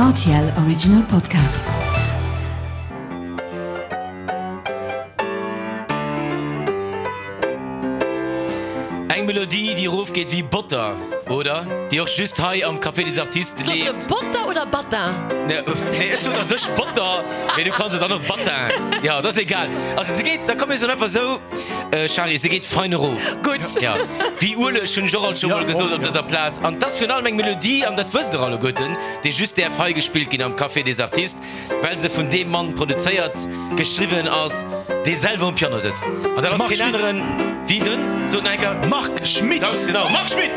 Rtl Original Podcast. Eng Melodie, déi erofgeet wéi Botter, oder? Déi och just hei am Café des Artistes Soss de leeft. Botter oder Battin? Nee, ech soen a sech Botter, mee du kanns et dann och Battin. Jo, dat ass egal. Also se geet, da komm mir soen einfach esou, Shari, se geet fein erof. Gutt. Jo, wéi Ueleg, hunn ech och alt scho mol gesot op dëser Plaz. An 't ass virun allem eng Melodie, an dat wësst der alleguerten, déi just däerf hei gespillt ginn am Café des Artistes. Well se vun deem Mann produzéiert, geschriwwen ass, dee selwer um Piano sëtzt. An dat ass Marc keen Schmitt. aneren wéi den, sot nach eng Kéier. Marc Schmitt. Ganz genau, Marc Schmitt!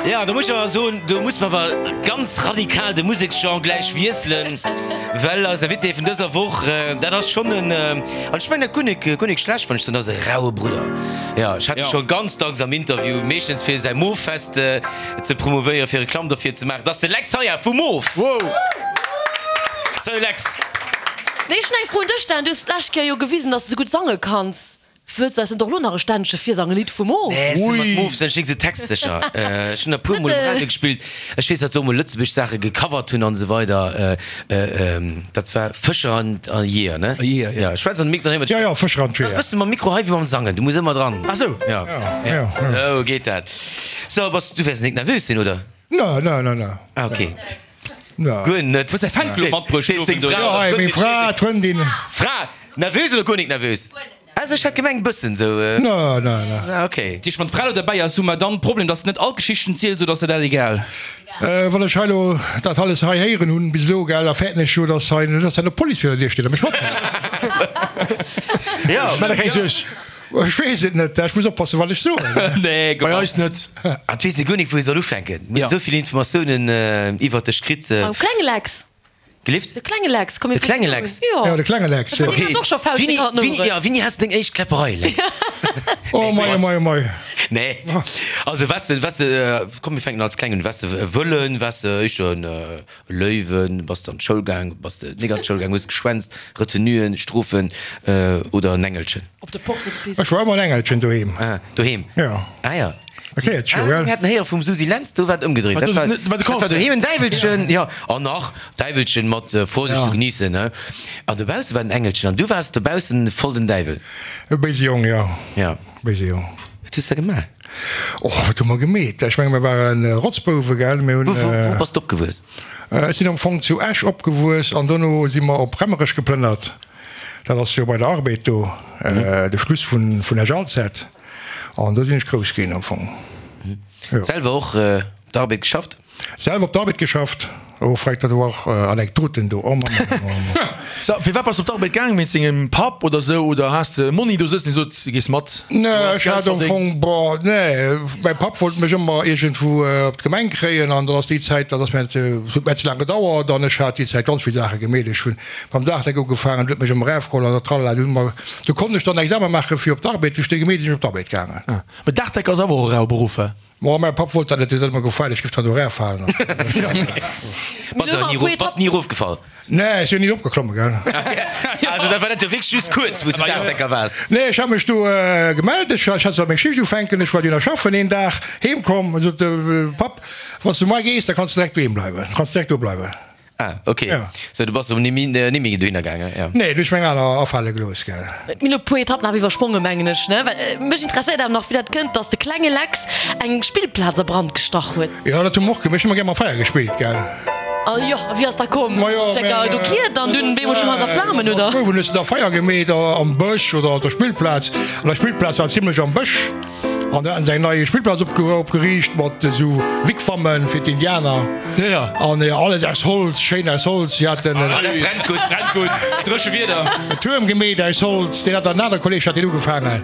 Ja, do muss ech awer soen, do muss mer awer ganz radikal de Museksgenre gläich wiesselen, well eis Invité vun dëser Woch, dat ass schonn en, an ech mengen dat guer nik, guer nik schlecht, wann ech soen, dat ass e raue Brudder. Jo, ech hat e scho ganz dacks am Interview, meeschtens fir säi Moof-Fest ze promouvéieren, fir Reklamm derfir ze maachen. Dat ass de Lex Haya vu Moof! Salut Lex! Nee, ech hunn eng Fro un dech, Dan. Du hues d'lescht Kéier jo gewisen, dass de sou gutt sange kanns. Wëlls de eis net och elo nach e Ständche virsangen, e Lidd vu Moof? Nee, ech sinn mat Moof sinn ech nik sou textsécher. Ech hunn der puer mol um Radio gespillt. Ech weess, datt se och mol lëtzebuergesch Saache gecovert hunn an esou weider. Dat war Fëscher an a Jeeër, ne? Jeeër, ja. Ja, schwätz an de Mik dann héiert Ja, ja, Fëscher an Dat ass Jeeër. bësse mam Mikro hei wéi mam Sangen, du muss ëmmer dran. Ah sou. Ja, Ja, ja. Sou geet dat. So, bass, du wäers nik nervös sinn, oder? Ne, ne, ne, ne. Ah, okay. Ne. Guer net. Hues däi Fanclub matbruecht Seet seng den Owend, Fra. oder? Ja, hei, meng Fra, d'Frëndin. Fra, nervös oder guer nik nervös? Also ech hat gemengt bëssen sou. Ne, ne, ne. Ah ok. Dat heescht, wann d'Fra lo derbäi ass, hu mer dann Problem, dass se net all d'Geschichten zielt, oder ass der dat egal? Wann ech hei lo dat alles hei héieren hunn bis elo, gell, da fäerten ech jo, dass hei, dass dann d'Police virun der Dier steet a mech mathëlt. Jo. Maach der keng Suerg. Ech weess et net, ech muss oppassen, wat ech soen. Nee, Bei eis net. Ah, et weess ee guer nik, wou ee soll ufänken. Mir hunn esou vill Informatiounen iwwert dech kritt. Mam klenge Lex. Gelift? De klenge Lex, komm mir De klenge Lex? Jo. Jo, de klenge Lex, jo. Deen hat och scho Fauscht Wini, an den wini, Oueren. ja, wini has de deng éischt Kläpperei, Lex? Oh mei, oh mei, oh mei. Nee. Also waars de, waars de, komm mir fänken als kleng un, waars de e Wëllen, waars de éischter en Löwen, bass de an d'Schoul gaang, bass de nik an d'Schoul gaang, hues geschwänzt, Retenuen, Strofen, oder en Engelchen? Op de Porte gepisst. Ech war ëmmer en Engelchen doheem. Ah, doheem? Jo. Ah ja. Erkläert scho, Ah, gell? mir haten héiere vum Susi Lentz, do war et ëmgedréit. Wat Dat war, do- wat de dat war doheem en Däiwelchen, jo. An nach, Däiwelchen mat Vorsicht zu genießen, ne? An dobausse war den Engelchen an du waars dobaussen voll den Däiwel. E béise Jong, jo. Ja. Béise Jong. Wat hues de gemaach? Och, wat hu mer gemeet? Ech menge mer waren Rotzbouwe, gell? Mir hunn. Wou, wou, wou bass de opgewuess? Ech sinn am Fong zu Esch opgewuess an dono si mer op Remmerech geplënnert. Dat ass jo bei der Arbed do, de Schluss vun Esch-Alzette. An do sinn ech grouss ginn am Fong. Jo. Selwer och op der Arbed geschafft? Selwer op der Arbed geschafft. Oh freck, dat war och Anekdoten do. Oh Mann, oh Mann, oh Mann. So, firwat bass de op d'Arbed gaang? Wéinst dengem Papp oder sou? Oder has de e Monni do sëtzen, dee sot, du gees mat, du Nee, has ech Geld hat am verdéngt? Fong, boah, nee, mäi Papp wollt mech ëmmer iergendwou op d'Gemeng kréien an dann ass déi Zäit, dat ass mir, huet mir ze laang gedauert an ech hat déi Zäit ganz vill Saache gemeet. Ech hunn mam Dachdeck ugefaangen, huet mech ëmmer erafgeholl an dat tralala. Du hu mer Do konnt ech dann Examen maachen fir op d'Arbed, du ech déi gemeet, sinn ech op d'Arbed gaangen. Ah, mee Dachdecker ass awer och e raue Beruff, he? Ma mäi Papp wollt dat net, deen huet ëmmer gefaart, ech géif dann do erafalen. Bass de ni erof, bass ni erofgefall? Nee, ech sinn ni eropgeklomme, gell. Also dat war net jo wierklech just kuerz, wou s de Dachdecker waars? Nee, ech hat mech do gemellt, ech hat sollt meng Schicht ufänken, ech war dunn a schaffen een Dag, heem komm, sot de Papp, wann s du muar gees, da kanns du direkt doheem bleiwen, kanns direkt do bleiwen. Ah, ok. Ja. Sou, du bass erëm ni ni méi dohinner gaangen, ja? Nee, du hues meng aner afale gelooss, gell? Mir hunn e puer Etappen awer iwwersprongen, mengen ech, ne? Well mech interesséiert awer nach, wéi dat kënnt, dass de klenge Lex eng Spillplaz a Brand gestach huet. Jo, dat hu mer och gemaach. Ech hu ëmmer gär mam Feier gespillt, gell? A jo, a wéi ass da komm? Ma jo, Checker, do kiert an dunn bemol schon Haus a Flamen, oder? Als Bouf hunn ech da Feier gemeet am Bësch oder op der Spillplaz. An der Spillplaz war zimlech am Bësch. An do haten se eng nei Spillplaz opgeriicht mat esou Wigwammen fir d'Indianer. An alles aus Holz, schéin aus Holz. Si haten Ah, dat brennt gutt, brennt gutt. Dréche Wieder. en Tuerm gemeet aus Holz. Deen hat dann en anere Kolleeg hat deen ugefaangen.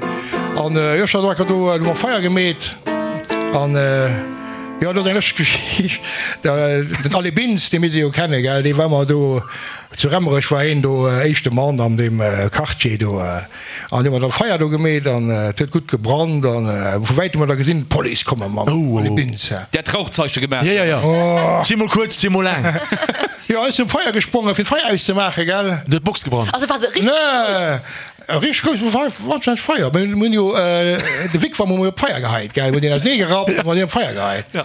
An jo, ech hat och do hu mer Feier gemeet. An jo, do ass eng lëschteg Geschicht. Den Alé Bintz, dee misst Dir jo kennen, gell, dee war ëmmer do zu Remmerech, war hien do éischte Mann an deem Quartier do. An hu mer da Feier do gemeet an et huet gutt gebrannt an vu wäitem hu mer da gesinn d'Police komme mam Binz. Der hat Rauchzeiche gemaach? Jo, jo, jo. Zweemol kuerz, zweemol laang. Jo, ech sinn um Feier gesprongen, fir d'Feier auszemaachen, gell. Du huet d'Box gebrannt? Also war se richteg grouss? Nee, richteg grouss war anscheinend d'Feier. Mir hunn jo de Wigwam hu mir op d'Feier geheit, gell. Mir hunn deen ausenee gerappt an deen op d'Feier geheit. Jo,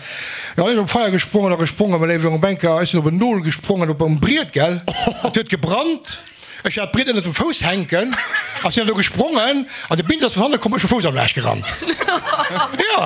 ech sinn op d'Feier gesprongen a gesprongen, mä léiwe Jong Bänker, ech sinn op en Nol gesprongen, op en Briet, gell. Et huet gebrannt. Ech hat d'Briet ënnert dem Fouss hänken a sinn dann do gesprongen an de Bild ass vun hanne komm, ech mam Fouss am Laascht gerannt. Jo,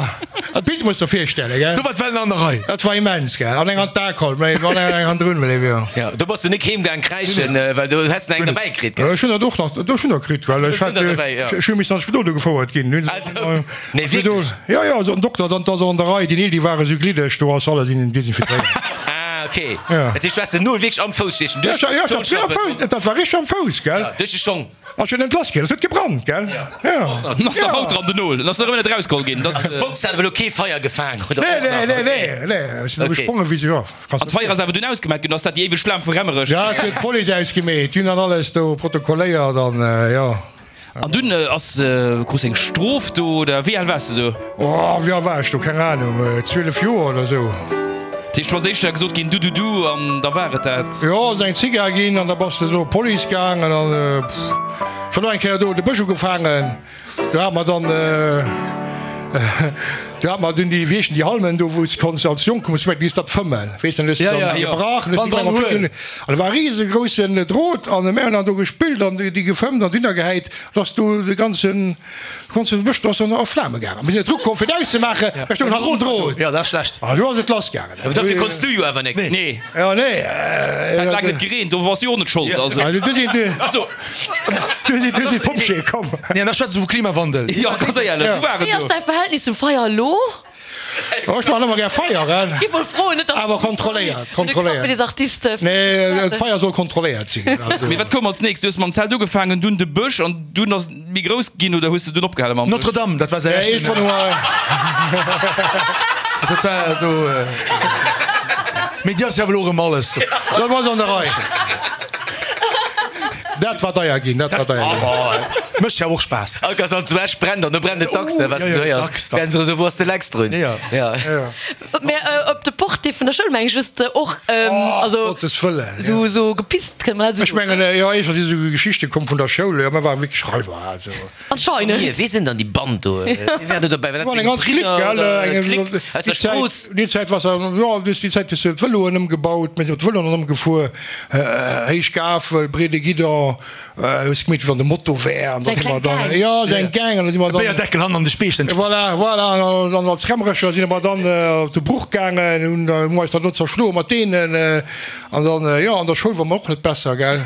dat Bild muss der virstellen, gell. Do war d'Wellen an der Rei. Dat war immens, gell. An eng Hand d'Alkohol, mä an eng hannendrun, mä jo. Jo, do bass du nik heem gaang kräischen, well do häss de eng derbäi kritt, gell. Ech hunn dat och nach, do ech hunn der kritt, well ech hat, ech hu missen an d'Spidol do gefouert ginn. Also, nee, wierklech? Jo, jo, also den Dokter, dann, 't ass och an der Rei, déi Neel, déi ware sou gliddeg, do ass alles desinfizéiert. Ah, ok. Ja. Dat heescht, du has den Nol wierklech am Fouss steechen, duerch Ja, ja, d'Schlappen? ja, am Fouss, dat war richteg am Fouss, gell? Ja, duerch de Schong. Ass jo net lass ginn, et huet gebrannt, gell? Ja. Dann ass nach haut dran, den Nol. Dann ass nach ëmmer net erausgeholl ginn. Das, Also d'Box hat awer elo kee Feier gefaang, oder? Nee, Och nach? nee, nee, Ok. nee, nee, ech sinn do Ok. gesprongen wéi se, jo. An d'Feier ass awer dunn ausgemaat ginn, oder ass dat déi éiweg Flam vu Remmerech? Ja, et huet d'Police ausgemeet, déi hunn dann alles do protokolléiert an, jo. An dunn ass, krus eng Strof do, oder wéi al waars de do? Oh, wéi al war ech do? Keng Ahnung, 12 Joer oder sou. Dat heescht, du ass éischter gesot ginn, du, du, du, an da war et dat? Jo, ass eng Zigar ginn an da bass de do op d'Police gaangen an, pff, ech war och eng Kéier do de Bësch ugefaangen. Do hat mer dann, do hat mer dunn déi, wéi heeschen déi Halmen do, wou s de konns als Jonk, muss du dat fëmmen, weess de, dann hues de dann déi gebrach, dann hues de déi mat Fëmmen, an da war e riesegroussen Drot an mir hunn dann do gespillt an déi gefëmmt an dunner gehäit, da ass do de ganzen, ganzen Bësch do ass dann a Flame gaangen. Mir sinn net erukomm fir et auszemaachen, mä stoungen hannert dem Drot. Jo, dat ass schlecht. An do ass et lass gaangen. Awer dofir konns du jo awer nek. Nee. Jo, nee. Et hat laang net gereent, do bass du jo och net schold. Also. Du sinn du. Also. Du sinn du sinn d'Pompjeeë komm. Nee, an da schwätze se vu Klimawandel. Jo, ganz éierlech, wou war et Wéi ass do? däi Verhältnis zum Feier elo? Oh, ech maachen ëmmer gär Feier, gell. Gi mol froen, net dass Awer kontrolléiert, kontrolléiert. Fir des Artiste. Nee, d'Feier soll kontrolléiert sinn. Also. Mee wat koum als nächst? Du hues mam Zelt ugefaangen, dunn de Bësch an dunn ass et méi grouss ginn oder hues de dunn opgehale mam Bësch? Notre Dame, dat war säi Ja, éischten. iergendwann hu mer. Dat war do. Mee déi ass jo awer elo erëm alles. Dat ass an der Rei. Dat war deier ginn, dat war deier ginn. Mécht jo och Spaass. All Kass an zu Esch brennt an do brennt et dacks, wat du héiers. Werden se esou, wou ass de Lex drun? Jo. Mä op de Portier vun der Schoul meng ech hues de och, also Gottes Wëllen, jo. sou sou gepisst, kënnt man dat Ech esou soen? mengen, jo, éischter si sou Geschichte komm vun der Schoul, jo, mir ware wierklech Raiber, also. Anscheinend. Wie sinn dann déi Band do? Wie war do dobäi? War dat War eng deng ganz Clique, Bridder gell, oder eng Clique aus der déi Zäit, Strooss? déi Zäit war se, jo, déi Zäit hues de d'Vëloen ëmgebaut, mir sinn op d'Vëloen ëmgefuer, héich Gafel, breede Guidon, hues gemeet wéi wann de Moto wär an da Eng si mer kleng dann, Gang. jo, sou eng Gang an da si mer dann. Béierdeckel hannen an de Speechten. Voilà, voilà, an dann als Remmerecher si mer dann op de Bruch gaangen, hunn hu mer eis dann do zerschloe mat deenen an dann, jo, an der Schoul war mer och net besser, gell.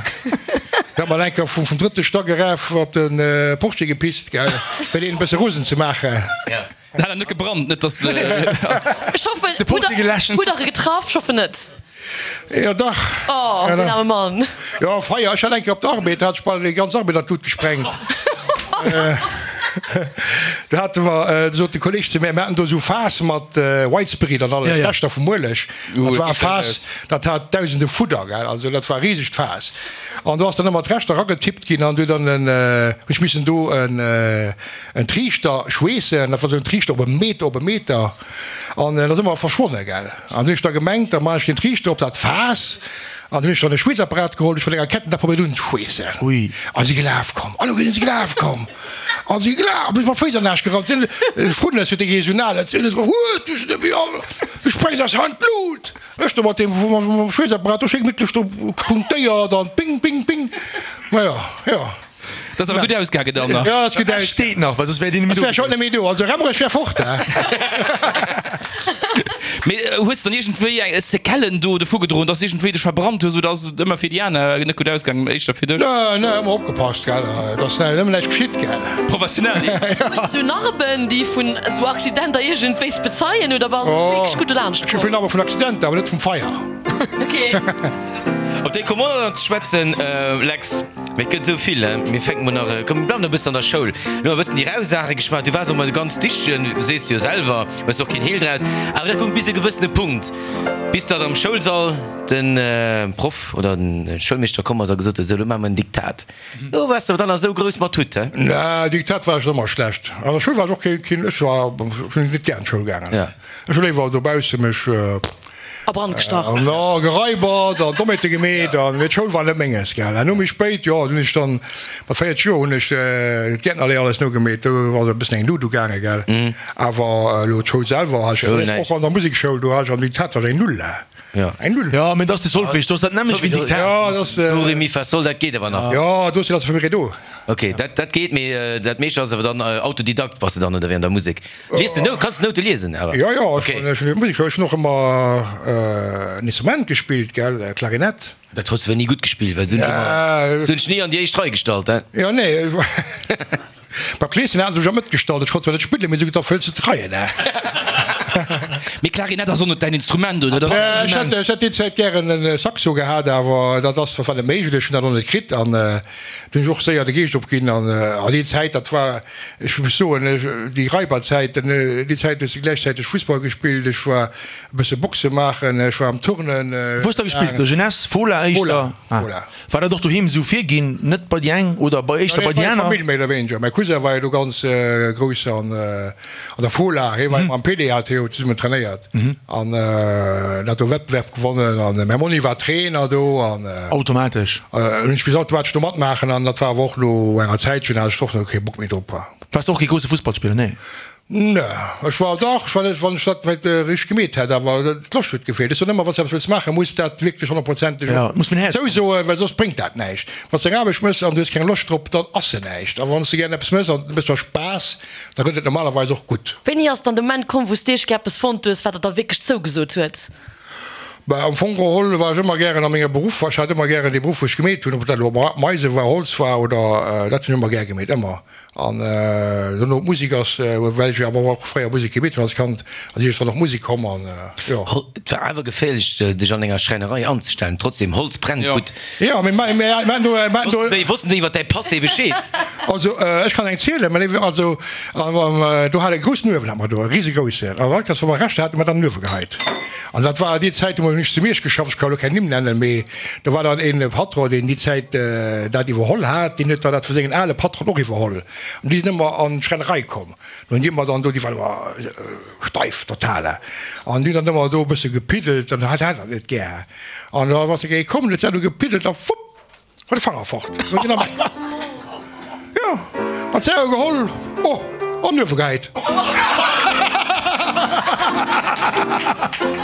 Da hat mer eng Kéier vum drëtte Stack eraf op de Portier gepisst, gell, fir deen e bësse rosen ze maachen. Dat hat net gebrannt, net dass. Ech hoffen, De Portier geläscht. hutt der e getraff? Ech hoffen net. Jo dach. Oh, den aarme Mann. Jo, Feier, ech hat eng Kéier op der Arbed, da hat ech bal déi ganz Arbed an d'Lut gesprengt. Do hate mer, do sot de Kolleg zu mär, mir haten do esou Faass mat White Spirit an alles, Reschter vum Ueleg. Dat war e Faass, dat hat dausende Fudder, gell, also dat war e risegt Faass. An do ass dann ëmmer d'Reschter eragetippt ginn an du dann en, hunn ech missen do en, en Triichter schweessen, dat war esou en Triichter op e Meter op e Meter an en ass ëmmer verschwonne, gell. An hunn ech da gemengt, da maachen ech den Triichter op dat Faass an hunn ech dann e Schweessapparat geholl, ech mat enger Ketten dat probéiert unzeschweessen. Ui. A si gelaf komm, alleguer si gelaf komm a si gelaf, bis mer Féiss an Aarsch gerannt sinn. Frunnes huet dee Regional, dat sinn huet du se du sprengs eis hei an d'Lut. Ech do mat deem Schweessapparat do schéi gemittlech do punktéiert an ping, ping, ping. Maja, jo. Dat ass awer gutt ausgaangen dann nach. Jo, dat ass gutt Esch steet nach, well soss wär deen Ech wär scho net méi do. Also Remmerech wär fort, hè. Mee hues de dann iergendwéi eng Séquellen do dovu gedroen, dass iergendwéi dech verbrannt hues oder ass et ëmmer fir déi aner net gutt ausgaangen, mee éischter fir dech? Nee, nee, ëmmer opgepasst, gell, et ass nëmmen näischt geschitt, gell. Professionell, nee? Hues de sou Narben, déi vun esou Accidenter iergendwéis bezeien oder bass de wierklech gutt dolaanscht Ech hu komm? vill Narbe vun Accidenter, awer net vum Feier. Okay. Op déi komme mer nach ze schwätzen, Lex. Mee et gëtt esou vill, he. Mir fänke mol nach, komm mir bleiwen nach e bëssen an der Schoul. Lo hu mer e bëssen déi rau Saache geschwat. Du waars och mol ganz dichtegen, du sees jo selwer, hues och keen Heel draus. Awer dat goung bis e gewëssene Punkt, bis datt am Schoulsall de Proff oder de Schoulmeeschter komm ass a gesot huet, Esou, lo maache mer en Diktat. Do waars de awer dann nach esou grouss mat Hutt, he? Nee, Diktat war ech ëmmer schlecht. An der Schoul war ech och keen, keen, ech war, ech hunn net gär an d'Schoul gaangen. Ech hu léiwer dobausse mech. A Brand gestach. An da geraibert an Dommheete gemeet an mee d'Schoul war net menges, gell. An no méi spéit, jo, dunn hunn ech dann mat 40 Joer hunn ech d'Gäertnerléier alles nogemeet, do ass e bëssen eng Luut ugaangen, gell. Awer elo d'Schoul selwer hat ech och an der Musekschoul, do hat ech am Diktat war ech eng Null, eng Null. Jo, mee dat ass de Solfège, do ass dat nämmlecht wéi Diktat. Jo, dat ass. Do, Ré, Mi, Fa, Sol, dat geet awer nach. Jo, do sinn also fir do. Ok, dat dat geet, mee dat meescht ass awer dann Autodidakt bass de dann oder wéi an der Musek? Lies de Nouten? Kanns de Noute liesen awer? Jo, jo, ech hunn ech hunn Musek, ech hunn och ëmmer en Instrument gespillt, gell, Klarinett. Dat hues de awer ni gutt gespillt, well se hunn dech ëmmer, se hunn dech ni an déi éischt Rei gestallt, he? Jo, nee, beim Kleeschen hate se mech am Mëtt gestallt, ech konnt zwar net spillen, mee se hunn gesot, da fëlls de d'Reien, he. Mee Klarinett ass och net däin Instrument, oder? Dat ass Ech hätt, ech hätt déi Zäit gären e Saxo gehat, awer dat ass war net méiglech, ech hunn dat och net kritt an du hunn ech och séier de Geescht opginn an a déi Zäit, dat war. Ech muss soen, déi Raiberzäiten, déi Zäit hues de gläichzäiteg Fussball gespillt, ech war e bësse Boxe maachen, ech war am Turnen. Wou hues de gespillt? Jeunesse, Fola éischter? Fola. War dat och doheem esou virginn, net bei déi eng oder bei éischter bei déi aner? Famill méi oder wéineger. Mäi Cousin war jo do ganz grouss an der Fola, hie war ëmmer am PDAT, hu zesummen trainéiert an en hat do Wettbewerb gewonnen an mäi Monni war Trainer do an. Automatesch. Hunn ech bis automatesch do matmaachen an dat war awer och no enger Zäitchen hat ech och no kee Bock méi drop. Waars de och kee grousse Fussballspiller, nee? Nee, ech war dach, ech war net, wann ech dat vläit richteg gemeet hätt, awer d'Loscht huet gefeelt. Ech soen ëmmer, wann s de eppes wëlls maachen, muss dat wierklech honnertprozenteg Ja, muss vun Häerzen. zousoen, well soss bréngt dat näischt. Wann s de eng Aarbecht méchs an du hues keng Loscht drop, dann ass se näischt. A wann s de gären eppes méchs an et mécht der Spaass, da gëtt et normalerweis och gutt. Wéini ass dann de Moment komm, wou s de iergendwéi eppes fonnt hues, wat der da wierklech zougesot huet? Bah, am Fong geholl war ech ëmmer gären a mengem Beruff. Ech hat ëmmer gären dee Beruff, wou ech gemeet hunn, ob dat elo Meise war, Holz war oder dat hunn ech ëmmer gär gemeet, ëmmer. An dono d'Musek ass, well ech jo awer och fréier Musek gemeet hunn als Kand, ass iergendwann och Musek komm an jo. Et war awer geféierlech dech an enger Schräinerei anzestellen, trotzdem, Holz brennt gutt. Jo, mee mir haten do, mir haten do. Wossten déi iwwer däi Passé Bescheed? Also ech kann eng zielen, mä also do hat e groussen Uewen hat mer do, e risegroussen, an all Kéiers wa mer Reschter haten, hu mer dat an den Uewe geheit. An dat war déi Zäit, do hunn ech zu Miersch geschafft, ech ka elo keng Nimm nennen, mee do war dann een Patron, deen déi Zäit dat iwwerholl hat, deen huet dann dat vu sengen ale Patronen och iwwerholl. An déi sinn ëmmer an d'Schrennerei komm. An hunn déi ëmmer dann do, déi waren ëmmer steif, total, an déi hunn dann ëmmer do e bësse gepiddelt an hat hat dat net gär. An da ass e komm, huet dat do gepiddelt a wupp! War de Fanger fort. Jo, an d'Zäre geholl, oh, an den Uewe gehäit.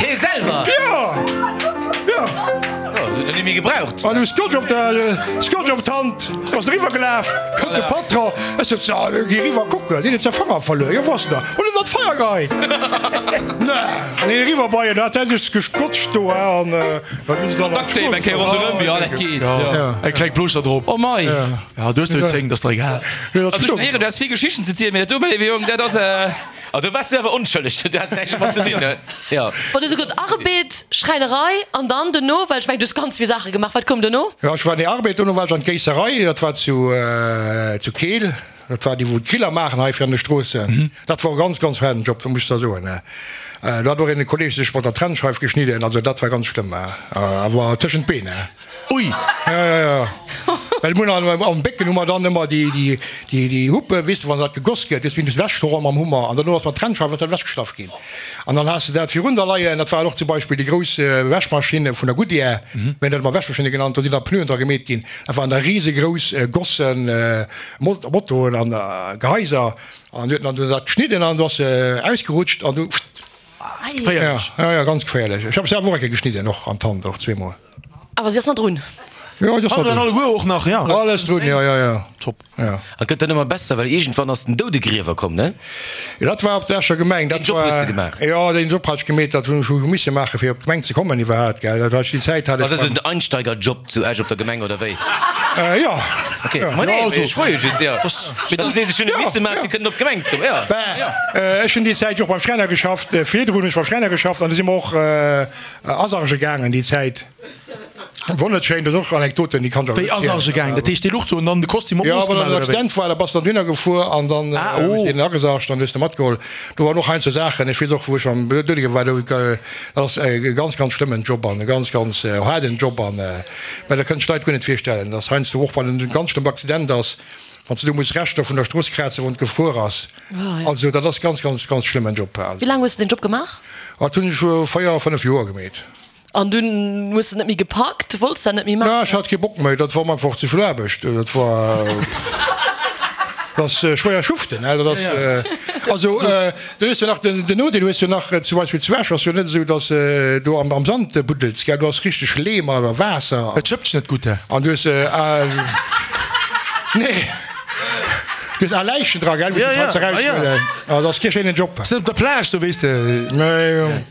Hee selwer? Jo, jo. Jo, huet en net méi gebraucht. An du Scotch op der, Scotch op d'Hand, ass en eriwwer gelaf, kënnt de Patron, ech sot, so, gi eriwwer kucken, deen huet säi Fanger verluer. Jo, wou ass en da? Huet en an d'Feier geheit. Nee, an hien eriwwer bei en, da hat hie sech gescotcht do, an. Duct Tape eng Kéier ronderëm, jo dat geet. Eng kleng Plooschter drop. Oh mei. Ja, du hues nëmmen 10, dat ass der egal. Also ech héieren, du has vill Geschichten ze zielen, mee dat do, mäi léiwe Jong, dat ass. Ah, do waars du awer onschëlleg, du has näischt domat ze dinn, ne? Jo. Bon, du hues gesot Arbed, Schräinerei an dann dono, well ech mengen, du hues ganz vill Saache gemaach, wat koum dono? Jo, ech war an der Arbed, dono war ech an d'Géisserei, dat war zu Keel. Dat war déi wou d'Griller maachen hei fir an de Stroossen. Dat wor e ganz ganz haarden Job, dat muss ech der soen. Do hat och een Kolleg sech mat der Trennscheif geschnidden, also dat war ganz schlëmm, awer tëschent d'Been. Ui! Jo jo jo, well mir hunn am Bécken hu mer dann ëmmer déi déi déi déi Huppe, weess de, wann dat gegoss gëtt, hues du bis ewechgeholl mam Hummer an dono ass mat Trennscheif ass dat ewechgeschlaff ginn. An dann has de dat virun der leien, dat waren och zum Beispill déi grouss Wäschmaschinne vun der Goodyear, mir hunn dat ëmmer Wäschmaschinne genannt, do sinn da Pneuen dra gemeet ginn, dat waren da risegrouss Gossen, Motoen an Gehaiser an huet dann dat geschnidden an du ass se ausgerutscht an du Geféierlech. Ja, ja, ganz geféierlech. Ech hab selwer och eng Kéier geschnidden, och an d'Hand, och zweemol. Awer si ass nach drun. Jo, déi ass nach drun. Alleguer och nach, ja. Alles drun, jo, jo, jo. Top. Ja. Et gëtt dann ëmmer besser, well iergendwann ass den Doudegriewer komm, ne? Jo, dat war op der Escher Gemeng. Deen Job hues de gemaach? Jo, deen Job hat ech gemeet. Dat hunn ech hu misse maachen, fir op d'Gemeng ze kommen iwwerhaapt, gell. Dat war ech déi Zäit hat ech. Ass dat esou den Einsteigerjob zu Esch op der Gemeng, oder wéi? Jo. Ok, ma nee, mee ech froe just, jo. Mee du sees, ech hunn e misse maachen, fir kënnen op d'Gemeng ze kommen, jo. Ben, ech hunn déi Zäit jo och beim Schräiner geschafft. Virdrun hunn ech beim Schräiner geschafft an du si mer och asarge gaangen déi Zäit. Wonnerschéin, dat ass och Anekdoten, déi kann ech awer Wéi net zielen. asarge gaang? Dat heescht dee Luch do an dann de Kostüm op Jo, d'Nooss wann gemaach en oder wéi? Accident war, da bass de dann dohinner gefuer an dann Ah, hues oh. de deen agesargt an hues de matgeholl. Do waren och heiansdo Saachen, ech weess och, wou ech am Doudege war, do, dat ass e ganz, ganz schlëmmen Job an e ganz, ganz haarden Job an, well dat kënnen sech d'Leit guer net virstellen, dass heiansdo och wann en ganz schlëmmt Accident ass. Wann s de do muss Reschter vun der Strooss krazen, wann et gefruer ass. Also dat ass ganz, ganz, ganz schlëmmen Job. Wéi laang hues de deen Job gemaach? Dat hunn ech 4, 5 Joer gemeet. An dunn hues de net méi gepackt? Wollts dat net méi maachen? Ech hat kee Bock méi, dat war mer einfach ze vill Aarbecht. Dat war, dat ass schwéier schuften, dat ass, also du hues jo nach den Nodeel hues jo nach, zum Beispill zu Esch ass jo net esou, datt s do am Sand buddels, gell, do ass richteg Leem a Waasser. Et schëppt net gutt, he? An du hues, nee, du hues al Läichen dra, gell, wou se d'Haiser eraushuelen. Dat ass kee schéinen Job. Ass net op der Plage do, weess de. Nee.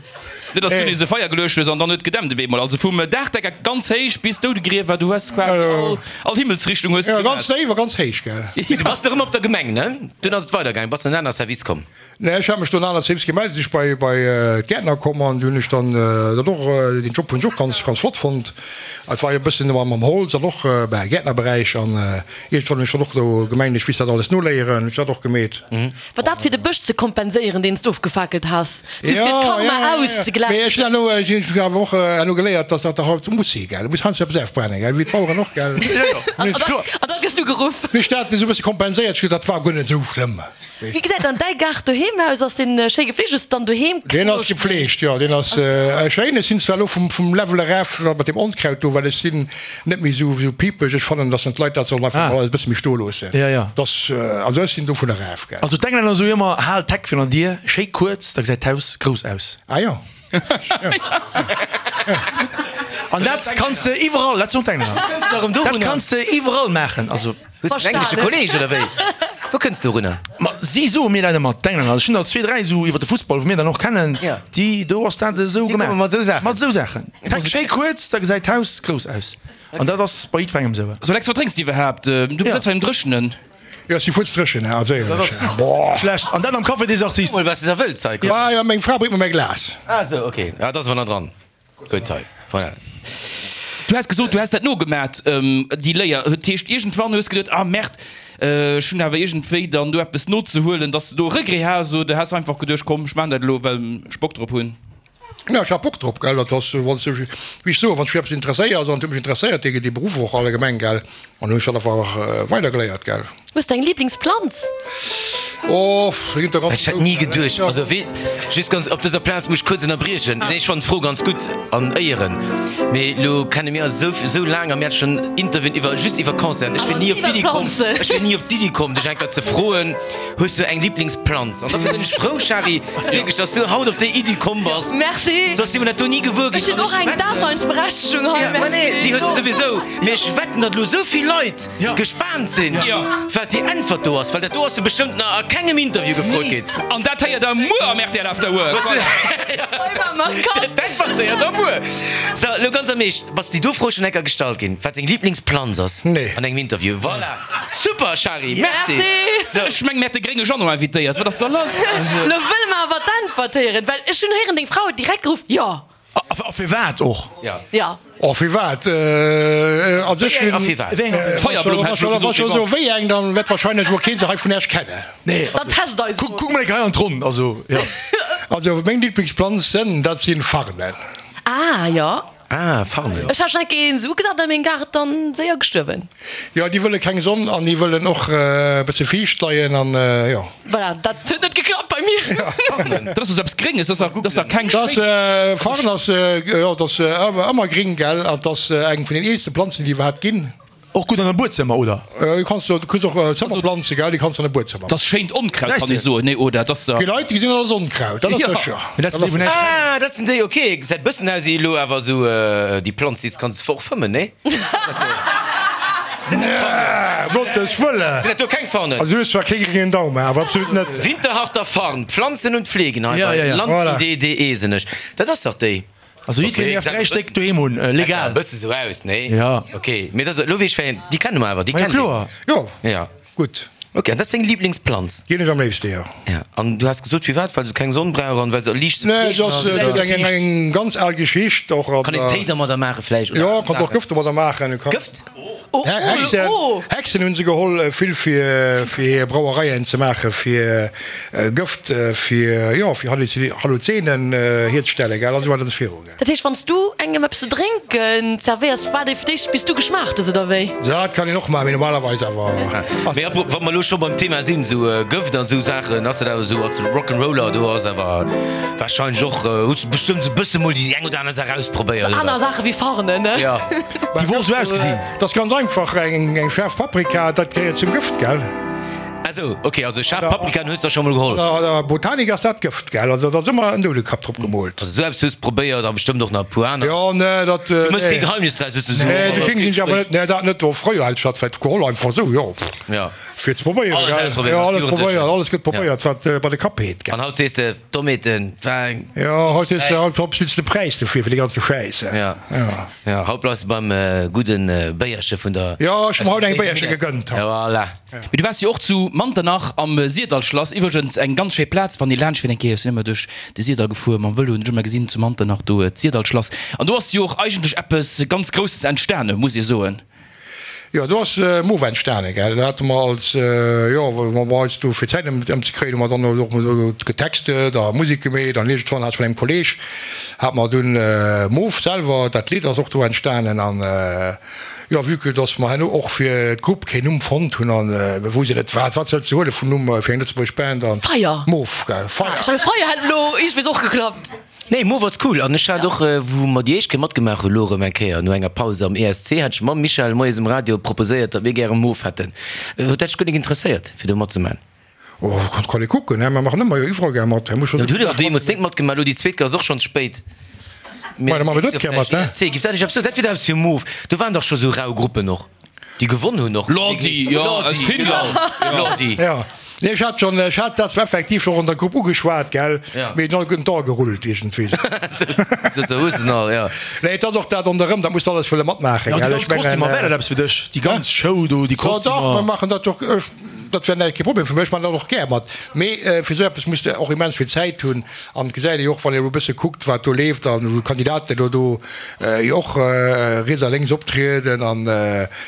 Net dass du nees e Feier geluecht hues an dann huet gedämpt op eemol. Also vum Daachdecker ganz héich bis Doudegriewer, du hues quasi all, all Himmelsrichtung hues du Jo, ganz gemaach. déif a ganz héich, gell. Du bass erëm op der Gemeng, ne? Dunn ass et weidergaangen, bass an en aner Service komm. Nee, ech hat mech do an en aner Service gemellt, sinn ech bei, bei d'Gäertner komm an du hunn ech dann dat och, deen Job hunn ech och ganz, ganz flott fonnt. Et war jo e bëssen ëmmer mam Holz an och, ben, Gäertnerberäich an iergendwann hunn ech dann och do gemengt, ech misst dat alles noléieren, hunn ech dat och gemeet. War dat fir de Bësch ze kompenséieren, deen s de ofgefakelt has? Sou fir d'Karma auszegläichen? Mee ech hunn herno, ech hunn awer och herno geléiert, dass dat der halt muss si, gell. Du muss heiansdo eppes afbrennen, gell, wéi d'Baueren och, gell. An da gëss du geruff. Mee ech dat esou e bësse kompenséiert, ech gesot, dat war guer net esou schlëmm. Wéi gesäit dann däi Gaart doheem aus? Ass deen schéi gefleegt? Hues de dann doheem Deen ass gefleegt, jo, deen ass schéin. Ech sinn zwar elo vum Level eraf mat deem Onkraut do, well ech sinn net méi esou esou piepeg. Ech fannen, dass dann d'Leit dat sollen einfach mol alles e bësse méi stoe loossen. Ja, ja. Dass, also ech sinn dovun eraf, gell. Also d'Englänner soe jo ëmmer, Hal d'Heck virun der Dier schéi kuerz, da gesäit d'Haus grouss aus. Ah jo. An dat kanns de iwwerall, dat soen d'Englänner, dat kanns de iwwerall maachen. Also. Hues de en englesche Kolleg oder wéi? Wou kënns du dorunner? Ma si soe mir dat ëmmer, d'Englänner. Also ech hunn der zwee, dräi esou iwwer de Fussball, wou mir dann och kennen, déi, do ass dat esou Déi komme gemaach. mat esou Saachen. Mat esou Saachen. D'Heck schéi kuerz, da gesäit d'Haus grouss aus. An dat ass bei jiddwerengem esou. So Lex, wat drénks de iwwerhaapt? Du besëtz hei um Dréchenen. Jo, ech si fuerzdréchen, also éierlech. Boah. Schlecht. An dat am Café des Artistes. Mol, wat s de da wëlls hei. Ah jo, meng Fra bréngt mer mäi Glas. Ah esou, ok. Ah, dat ass awer nach dran. Gutt hei, voilà. Du has gesot, du häss dat nogemat, déi Léier. Dat heescht, iergendwann hues geduet, ah Merde, ech hunn awer iergendwéi dann do eppes nozehuelen, dass de do Regret has oder has einfach geduecht, komm, ech maachen dat elo, well ech Bock drop hunn? Jo, ech hat Bock drop, gell. Dat ass, wann s de, wéi ech soen, wann s de fir eppes interesséiers, an et huet mech interesséiert, dee, dee Beruff och allgemeng, gell, an hunn ech dat einfach weidergeléiert, gell. Hues de eng Liblingsplanz? Oh, do ginn der ganz Ech hätt ni geduecht, also wee, just ganz, op dëser Plaz muss ech kuerz ënnerbriechen, nee ech fannen d'Fro ganz gutt an éieren, mee lo kenne mir eis esou, esou laang a mir hate schonn Interviewen iwwer, just iwwer Concerten, ech wier ni op d'Iddi komm, ech wier ni op d'Iddi komm dech eng Kéier ze froen, hues du eng Liblingsplanz? An dofir sinn ech frou, Shari, wierklech, dass du haut op déi Iddi komm bass, Merci! soss si mer dat do ni gewuer Ech ginn hunn an och ech eng wetten, Daseinsberechtegung hei, ja, ma nee, merci! déi hues du souwisou, mee ech wetten, datt elo esou vill Leit gespaant sinn, wat déi Äntwert do ass, well dat do ass se bestëmmt nach a kengem Interview gefrot ginn. An dat héiert der muer am rtl After Work. D'Äntwert héiert der muer. So, elo ganz am Eescht, bass déi do Fro schonn enker gestallt ginn, wat deng Liblingsplanz ass an engem Interview? Voilà! Super, Shari, merci! So. Ech meng, mir hätte grénge Jeannot invitéiert. Wat ass da lass? Elo wëlle mer awer d'Äntwert héieren, well ech hunn héieren, deng Fra huet direkt geruff, Jo! A firwat och? Ja. Oh firwat? A sech A firwat? D'Feierblumm hätt ech elo gesot, mee bon. Wéi eng, dann wäert wahrscheinlech wuel keen se hei vun Äech kennen. Nee, Dann test eis kuck, kuck mol eng Kéier hei an d'Ronn, also jo. Also meng Lieblingsplanzen, dat sinn Farnen. Ah jo. Ah, Farnen. Ech hat schon enke een esou ugesat an mengem Gaart, dann séier gestuerwen. Jo, déi wëlle keng Sonn an déi wëllen och e bësse fiicht leien an jo. Voilà, dat huet net geklappt bei mir. Dat ass esou eppes Grénges, dat ass dach keng Dat schéin. Farn ass, jo, dat ass ëmmer gring, gell, an dat ass eng vun den eelste Planzen, déi iwwerhaapt ginn. Och gutt an der Buedzëmmer, oder? Du kanns du kriss och Zëmmerplanze, gell, déi kanns du an de Buedzëmmer. Dat ass schéint Onkraut, kann ee soen, nee, oder? Dat ass Déi Leit, déi gesinn dat als Onkraut, dat ass sécher. Mee dat sinn déi vun Esch. Ah, dat sinn déi, ok. Gesäit bëssen aus wéi elo awer esou déi Planz, déi s kanns och fëmmen, nee? Sinn dat Farnen? Gottes Wëlle! Sinn dat do keng Farnen? Also du hues zwar kee gréngen Daum, mä awer absolut net. Winterharter Farn, Pflanzen und Pflegen hei bei landidee.de sinn ech. Dat ass dach déi. Also jiddwereen däerf 3 Stéck doheem hunn, legal. E bësse sou aus, nee? Ja. Ok, mee dat ass, elo weess ech wéi eng, déi kenne mer awer, déi Ma jo kennt een. kloer. Jo, Ja. gutt. Ok, an dat ass deng Liblingsplanz? Déi hunn ech am léifste, jo. Ja, an du has gesot firwat? Well se keng Sonn brauch an well se liicht ze Nee, pfleegen et ass? ass Oder? eng, eng ganz al Geschicht och. Kann een Téi dermadder maache vläicht? Oder Jo, aner kann och Saachen? Gëft domadder maachen. Gëft? Oh, Hexen, oh, oh. Hexen hunn se geholl vill fir, fir hir Brauereien ze maachen, fir Gëft, fir, jo, fir Halluzenen hierzestellen, gell, an esou weider an esou viru. Dat heescht, wann s du engem eppes ze drénken zerwéiers, waart ee fir d'éischt bis du geschmaacht hues, oder wéi? Dat kann een och maachen, mee normalerweis awer. Mee apropos, wa mer elo scho beim Thema sinn, esou Gëft an esou Saachen, ass dat awer esou als Rock'n'Roller, do ass awer warscheinlech och, hues du bestëmmt esou e bësse mol déi eng oder aner Saach ausprobéiert, Sou oder? aner Saache wéi Farnen, ne? Jo. Déi wor esou ausgesinn. Dat ass ganz einfach, eng schaarf Paprika, dat gehéiert zum Gëft, gell? Ah sou, ok, also schaarf Paprikaen hues der scho mol geholl? An der Botanik ass dat Gëft, gell? Also dat ass ëmmer en Doudekapp drop gemoolt. Also sou eppes hues probéiert a bestëmmt och nach e puer aner. Jo, nee, dat. Du mëss kee Geheimnis draus, hues du sou. Nee, sou kéng sinn ech awer net. Nee, dat net. Do fréier hätt ech dat vläicht geholl, einfach sou, jo, Ja. fir ze probéieren, Alles gell? ausprobéieren, Jo, als alles Jugendlechen. probéiert, alles gëtt probéiert, wat bei de Kapp heet, gell? An haut sees de, Dommheeten, war eng. Jo, haut sees de, haut bezuels de Präis dofir, fir déi ganze Schäiss. Ja. Ja. Ja, haut bleifs de beim gudden Béierche vun der. Jo, ech hu mer haut eng Béierche gegënnt. Ja, voilà. Mee du waars jo och zu Manternach am Syrdallschlass, iwwregens eng ganz schéi Plaz, wann ee laanscht fiert eng Kéier. Ech sinn ëmmer duerch de Syrdall gefuer mam Vëlo, hunn ech ëmmer gesinn zu Manternach do d'Syrdallschlass. An do ass jo och eigentlech eppes ganz Grousses entstane, muss ee soen. Jo, do ass Move entstane, gell. Do hate mer als, jo, wou mer eis do fir d'Zäit ëmzekréien, hu mer dann och do getextet a Musek gemeet an iergendwann hat ech mat engem Kolleeg, hat mer dunn Move selwer, dat Lidd ass och do entstanen an, Jo, vue que dass mer herno och fir d'Grupp keen Numm fonnt hunn an mir woussten net wat wat sollst de huele vun Numm fir eng lëtzebuergesch Band an Feier! Moof, gell, Feier! Ech mengen Feier hätt elo iergendwees och geklappt. Nee, Moof ass cool an ech hat och, wou mer déi éischt Kéier matgemaach hunn, elo erëm eng Kéier no enger Paus am ESC, hat ech mam Michel moies um Radio proposéiert, datt mir gäre Moof hätten. Huet dat dech guer nik interesséiert fir do matzemaachen? Oh, kann ee kucken, hä? Mer maachen ëmmer jo iwwerall gär mat. Hutt der deemools net matgemaach? Elo déi zweet Kéier ass och schonns spéit. Mä da maache mir dës Kéier mat, hä? ESC, giff dat nicht eppes soen? Dat wier dach eppes fir Move. Do waren dach scho sou rau Gruppen och, déi gewonn hunn och. Lordi, jo, aus Finnland. Lordi. Jo. Nee, ech hat schonn, ech hat dat zwar effektiv och an der Grupp ugeschwat, gell? Mee et ass all gerullt iergendwéi. Sou, sou hues de se all, jo. Nee, et ass och dat ronderëm, dat muss de alles wëlle matmaachen, Ja, déi gell? ganz Ech mengen. Kostümer, wär dat eppes fir dech? Déi ganz Show do, déi Jo, dach, Kostümer. mer maachen dat och. Dat wär näischt, kee Problem fir mech, ech man dat och gär mat. Mee fir esou eppes muss de och immens vill Zäit hunn. An et gesäit ee jo och, wann ee elo e bësse kuckt, wat do leeft an wou d'Kandidaten elo do jo och riets a lénks optrieden. An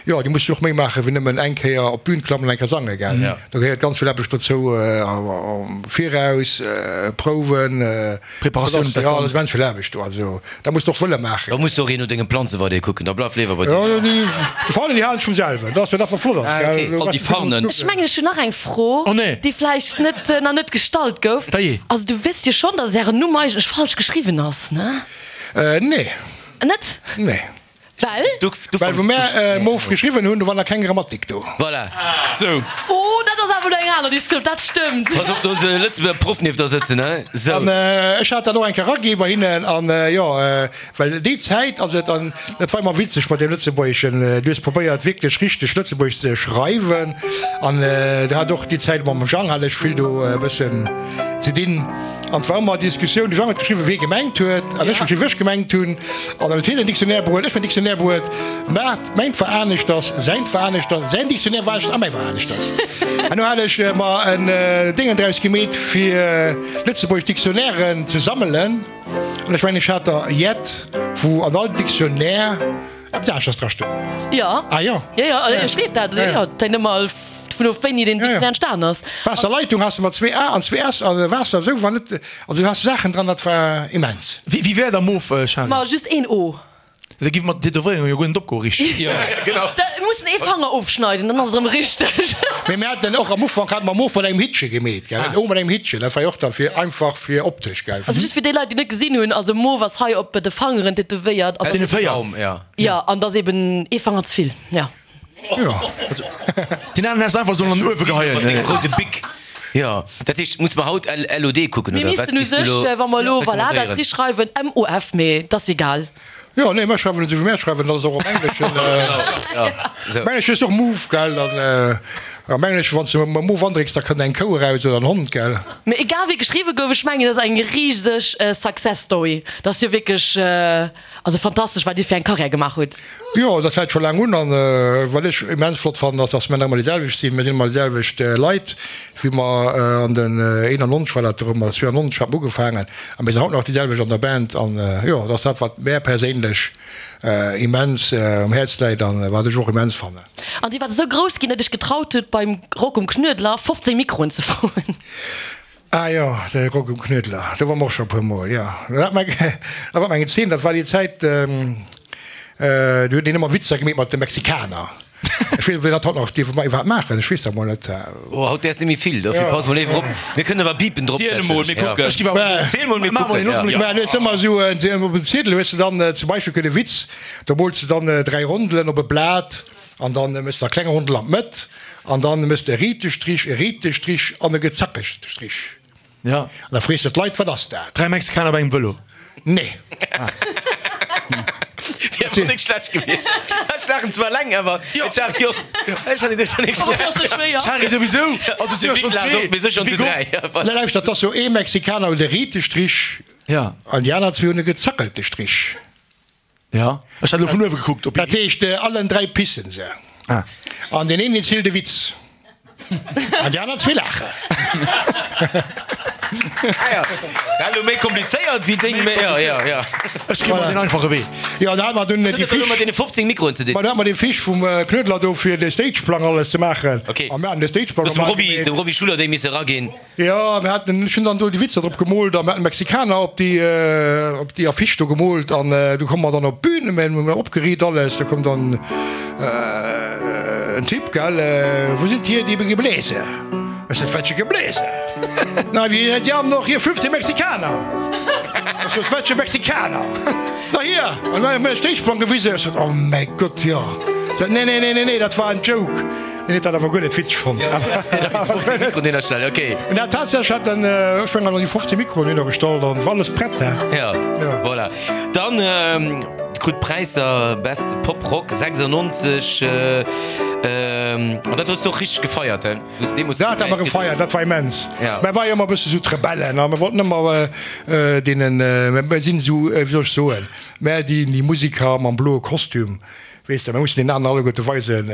jo, déi musse jo och méi maache wéi nëmmen eng Kéier op d'Bün klammen an eng Kéier sange, gell. Do gehéiert ganz vill Aarbecht dozou am Viraus, Prouwen, Preparatioun, dat ass immens vill Aarbecht do. Also dat muss de och wëlle maachen. Da muss de och een no denge Planze weider kucken, da bleif léiwer bei dir. Jo, déi Farnen, déi halen ech vum selwen. Dat ass jo dat, wat flott ass, gell. All déi Farnen. Ech mengen, ech hunn nach eng Fro, déi vläicht net, nach net gestallt gouf. Also, du wësst jo schonn, datt Ären Numm eigentlech falsch geschriwwen ass, ne? Nee. Net? Nee. Well? Well wou mär Moof geschriwwen hunn, do war nach keng Grammatik do. Voilà. Sou. Oh, dat ass awer elo eng aner Diskussioun, dat stëmmt. Pass op, do ass e Lëtzebuerger Proff nieft der sëtzen, he? Sou. An ech hat dat och eng Kéier eraginn bei hinnen an jo, well déi Zäit ass et an, dat war ëmmer witzeg mat deem Lëtzebuergeschen, du hues probéiert wierklech richteg Lëtzebuergesch ze schreiwen an do hat och déi Zäit mam Jang hat ech vill do e bëssen ze dinn. An et war ëmmer Diskussioun, de Jang huet geschriwwen, wéi e gemengt huet, an ech hunn geschriwwen, wéi ech gemengt hunn. An dann huet hien en Dictionnaire bruet, ech hunn en Dictionnaire bruet, mä mäint war aneschters, säint war aneschters, säin Dictionnaire war aneschters a mäi war aneschters. An du hat ech mer en Déngen draus gemeet, fir lëtzebuergesch Dictionnairen ze sammelen. An ech mengen, ech hat der jett, wou an all Dictionnaire eppes aneschters dra stoung. Jo. Ah jo. Jo, jo, ech gleef dat. Jo, et hänkt ëmmer dovun of, wéini deen Dictionnaire entstan ass. Waasserleitung has de mat zwee A an zwee S an Waasser esou war net. Also du has Saachen dran, dat war immens. Wéi wär da Moof, Charel? Ma just een O. Da giff mer d'Tätowéierung jo guer net opgoen, richteg? Jo, genau. Da muss en ee Fanger ofschneiden, dann ass et erëm richteg. Mee mir haten och am Ufank hate mer Moof mat engem Hittche gemeet, gell, en O mat engem Hittchen, dat war jo och da fir einfach fir optesch, gell. Also just fir déi Leit, déi net gesinn hunn, also Moof ass hei op de Fangeren tätowéiert. Op deene 4. Jo, an et ass eben ee Fanger ze vill, jo. Jo. Deen aneren häss einfach sollen an den Uewe geheien. Mat engem roude Bic. Jo, dat heescht, muss mer haut LOD kucken, Mir oder wat missten u giffs du sech, elo wa mer elo, voilà, dat recommandéieren? ri schreiwen, MOF, mee et ass egal. Jo, nee, mer schreiwen et esou wéi mär schreiwen, dat ass och am Engleschen. Genau, jo, esou. Am Engleschen ass och move, gell, dann. A mengen ech, wann s de mam Mo wandrécks, da kënnt eng Kou eraus oder en Hond, gell? Mee egal wéi geschriwwe gouf, ech mengen, et ass eng riseg Success Story. Dat ass jo wierklech, also fantastesch, wat Dir fir eng Karriär gemaach hutt. Jo, dat fält scho laang un. An wat ech immens flott fannen, ass, dass mir nach ëmmer déi selwecht sinn. Mir sinn ëmmer déi selwecht Leit, wéi mer an den 91 war dat erëm, oder 92 hat mer ugefaangen. A mir sinn haut nach déi selwecht an der Band. An jo, dat ass dat, wat mär perséinlech immens um Häerz läit an wat ech och immens fannen. An Dir waart esou grouss ginn, datt Iech getraut hutt, beim Rock um Knuedler 15 Mikroen ze froen. Ah jo, de Rock um Knuedler, do ware mer och scho e puer Mol, jo. Dat war eng Zeen, dat war déi Zäit, do huet een ëmmer Witzer gemeet mat de Mexikaner. Ech weess net, ob een dat haut nach dierf iwwerhaapt maachen, ech weess dat mol net. Oh, haut däerfs net méi vill, dofir pass mol éiwer op. Mir kënnen awer Bipen drop Ziel emol, mir kucken. Ziel mol, mir kucken, jo. Mä du hues ëmmer esou op dem Ziedel hues de dann zum Beispill kënne Witz, do mools de dann 3 Rondelen op e Blat an dann mëss de e klenge Rondel an d'Mëtt an dann mëss de e riite Strich, e riite Strich an e gezackegte Strich. Ja. An da frees de d'Leit, Wat ass dat? 3 Mexikaner op engem Vëlo. Nee. Wier awer nik schlecht gewiescht. Ech laachen zwar leng, awer et war jo, ech han et schon nik schlecht. D'Shari souwisou, also si jo schon zwee. Mir si schon zu 3. Nee, lauschtert, 't ass jo ee Mexikaner huet e riite Strich Ja. an déi aner zwee hunn e gezackelte Strich. Ja, ech hat elo vun uewe gekuckt op. Dat heescht, allen 3 pissen se. Ah. An deen een zielt e Witz. An déi aner zwee laachen. Ah ja, dat elo méi komplizéiert wéi deng. Méi komplizéiert. Ja, ja. Ech gi mer den einfache Wee. Jo, da hat mer dunn Dat déi huet elo Fisch. mat deene 15 Mikroen ze dinn. Ma da hat mer dee Fisch vum Knuedler do fir de Stageplang alles ze maachen. Okay. A mir haten de Stageplang Hues dem normal Roby, gemeet. dem Roby Schuller déi misse eraginn. Jo, mir haten, ech hunn dann do déi Witzer drop gemoolt a mir haten Mexikaner op déi, op déi Affiche do gemoolt an du komme mer dann op d'Bün, mir hunn opgeriit alles, do koum dann en Typ, gell, Wo sind hier die Gebläse? Ech sot, Welche Gebläse? Na, wie, die haben doch hier 15 Mexikaner. Ech sot, Welche Mexikaner? Na hier! An dann huet mir e Stéchplang gewisen. Ech sot, Oh mäi Gott, jo. Sot, Nee, nee, nee, nee, nee, dat war en Joke. Hien huet dat awer guer net witzeg fonnt. 15 Mikroen hinnerstellen, okay. Na tatsächlech hat en, ech mengen, an déi 15 Mikroen hinnergestallt an war alles prett, he. Ja, voilà. Dann krut Präisser Best Pop Rock 96 an dat hues du och richteg gefeiert, he? Wou s de deemools Dat de hat mer Präis kritt gefeiert, hues. dat war immens. Ja. Mer war jo ëmmer e bësse sou d'Rebellen a mer wollten ëmmer deenen, mer sinn esou, wéi soll ech soen, mer déi Musiker mam bloe Kostüm, Weess de, mir mussen deenen aneren alleguerte weisen,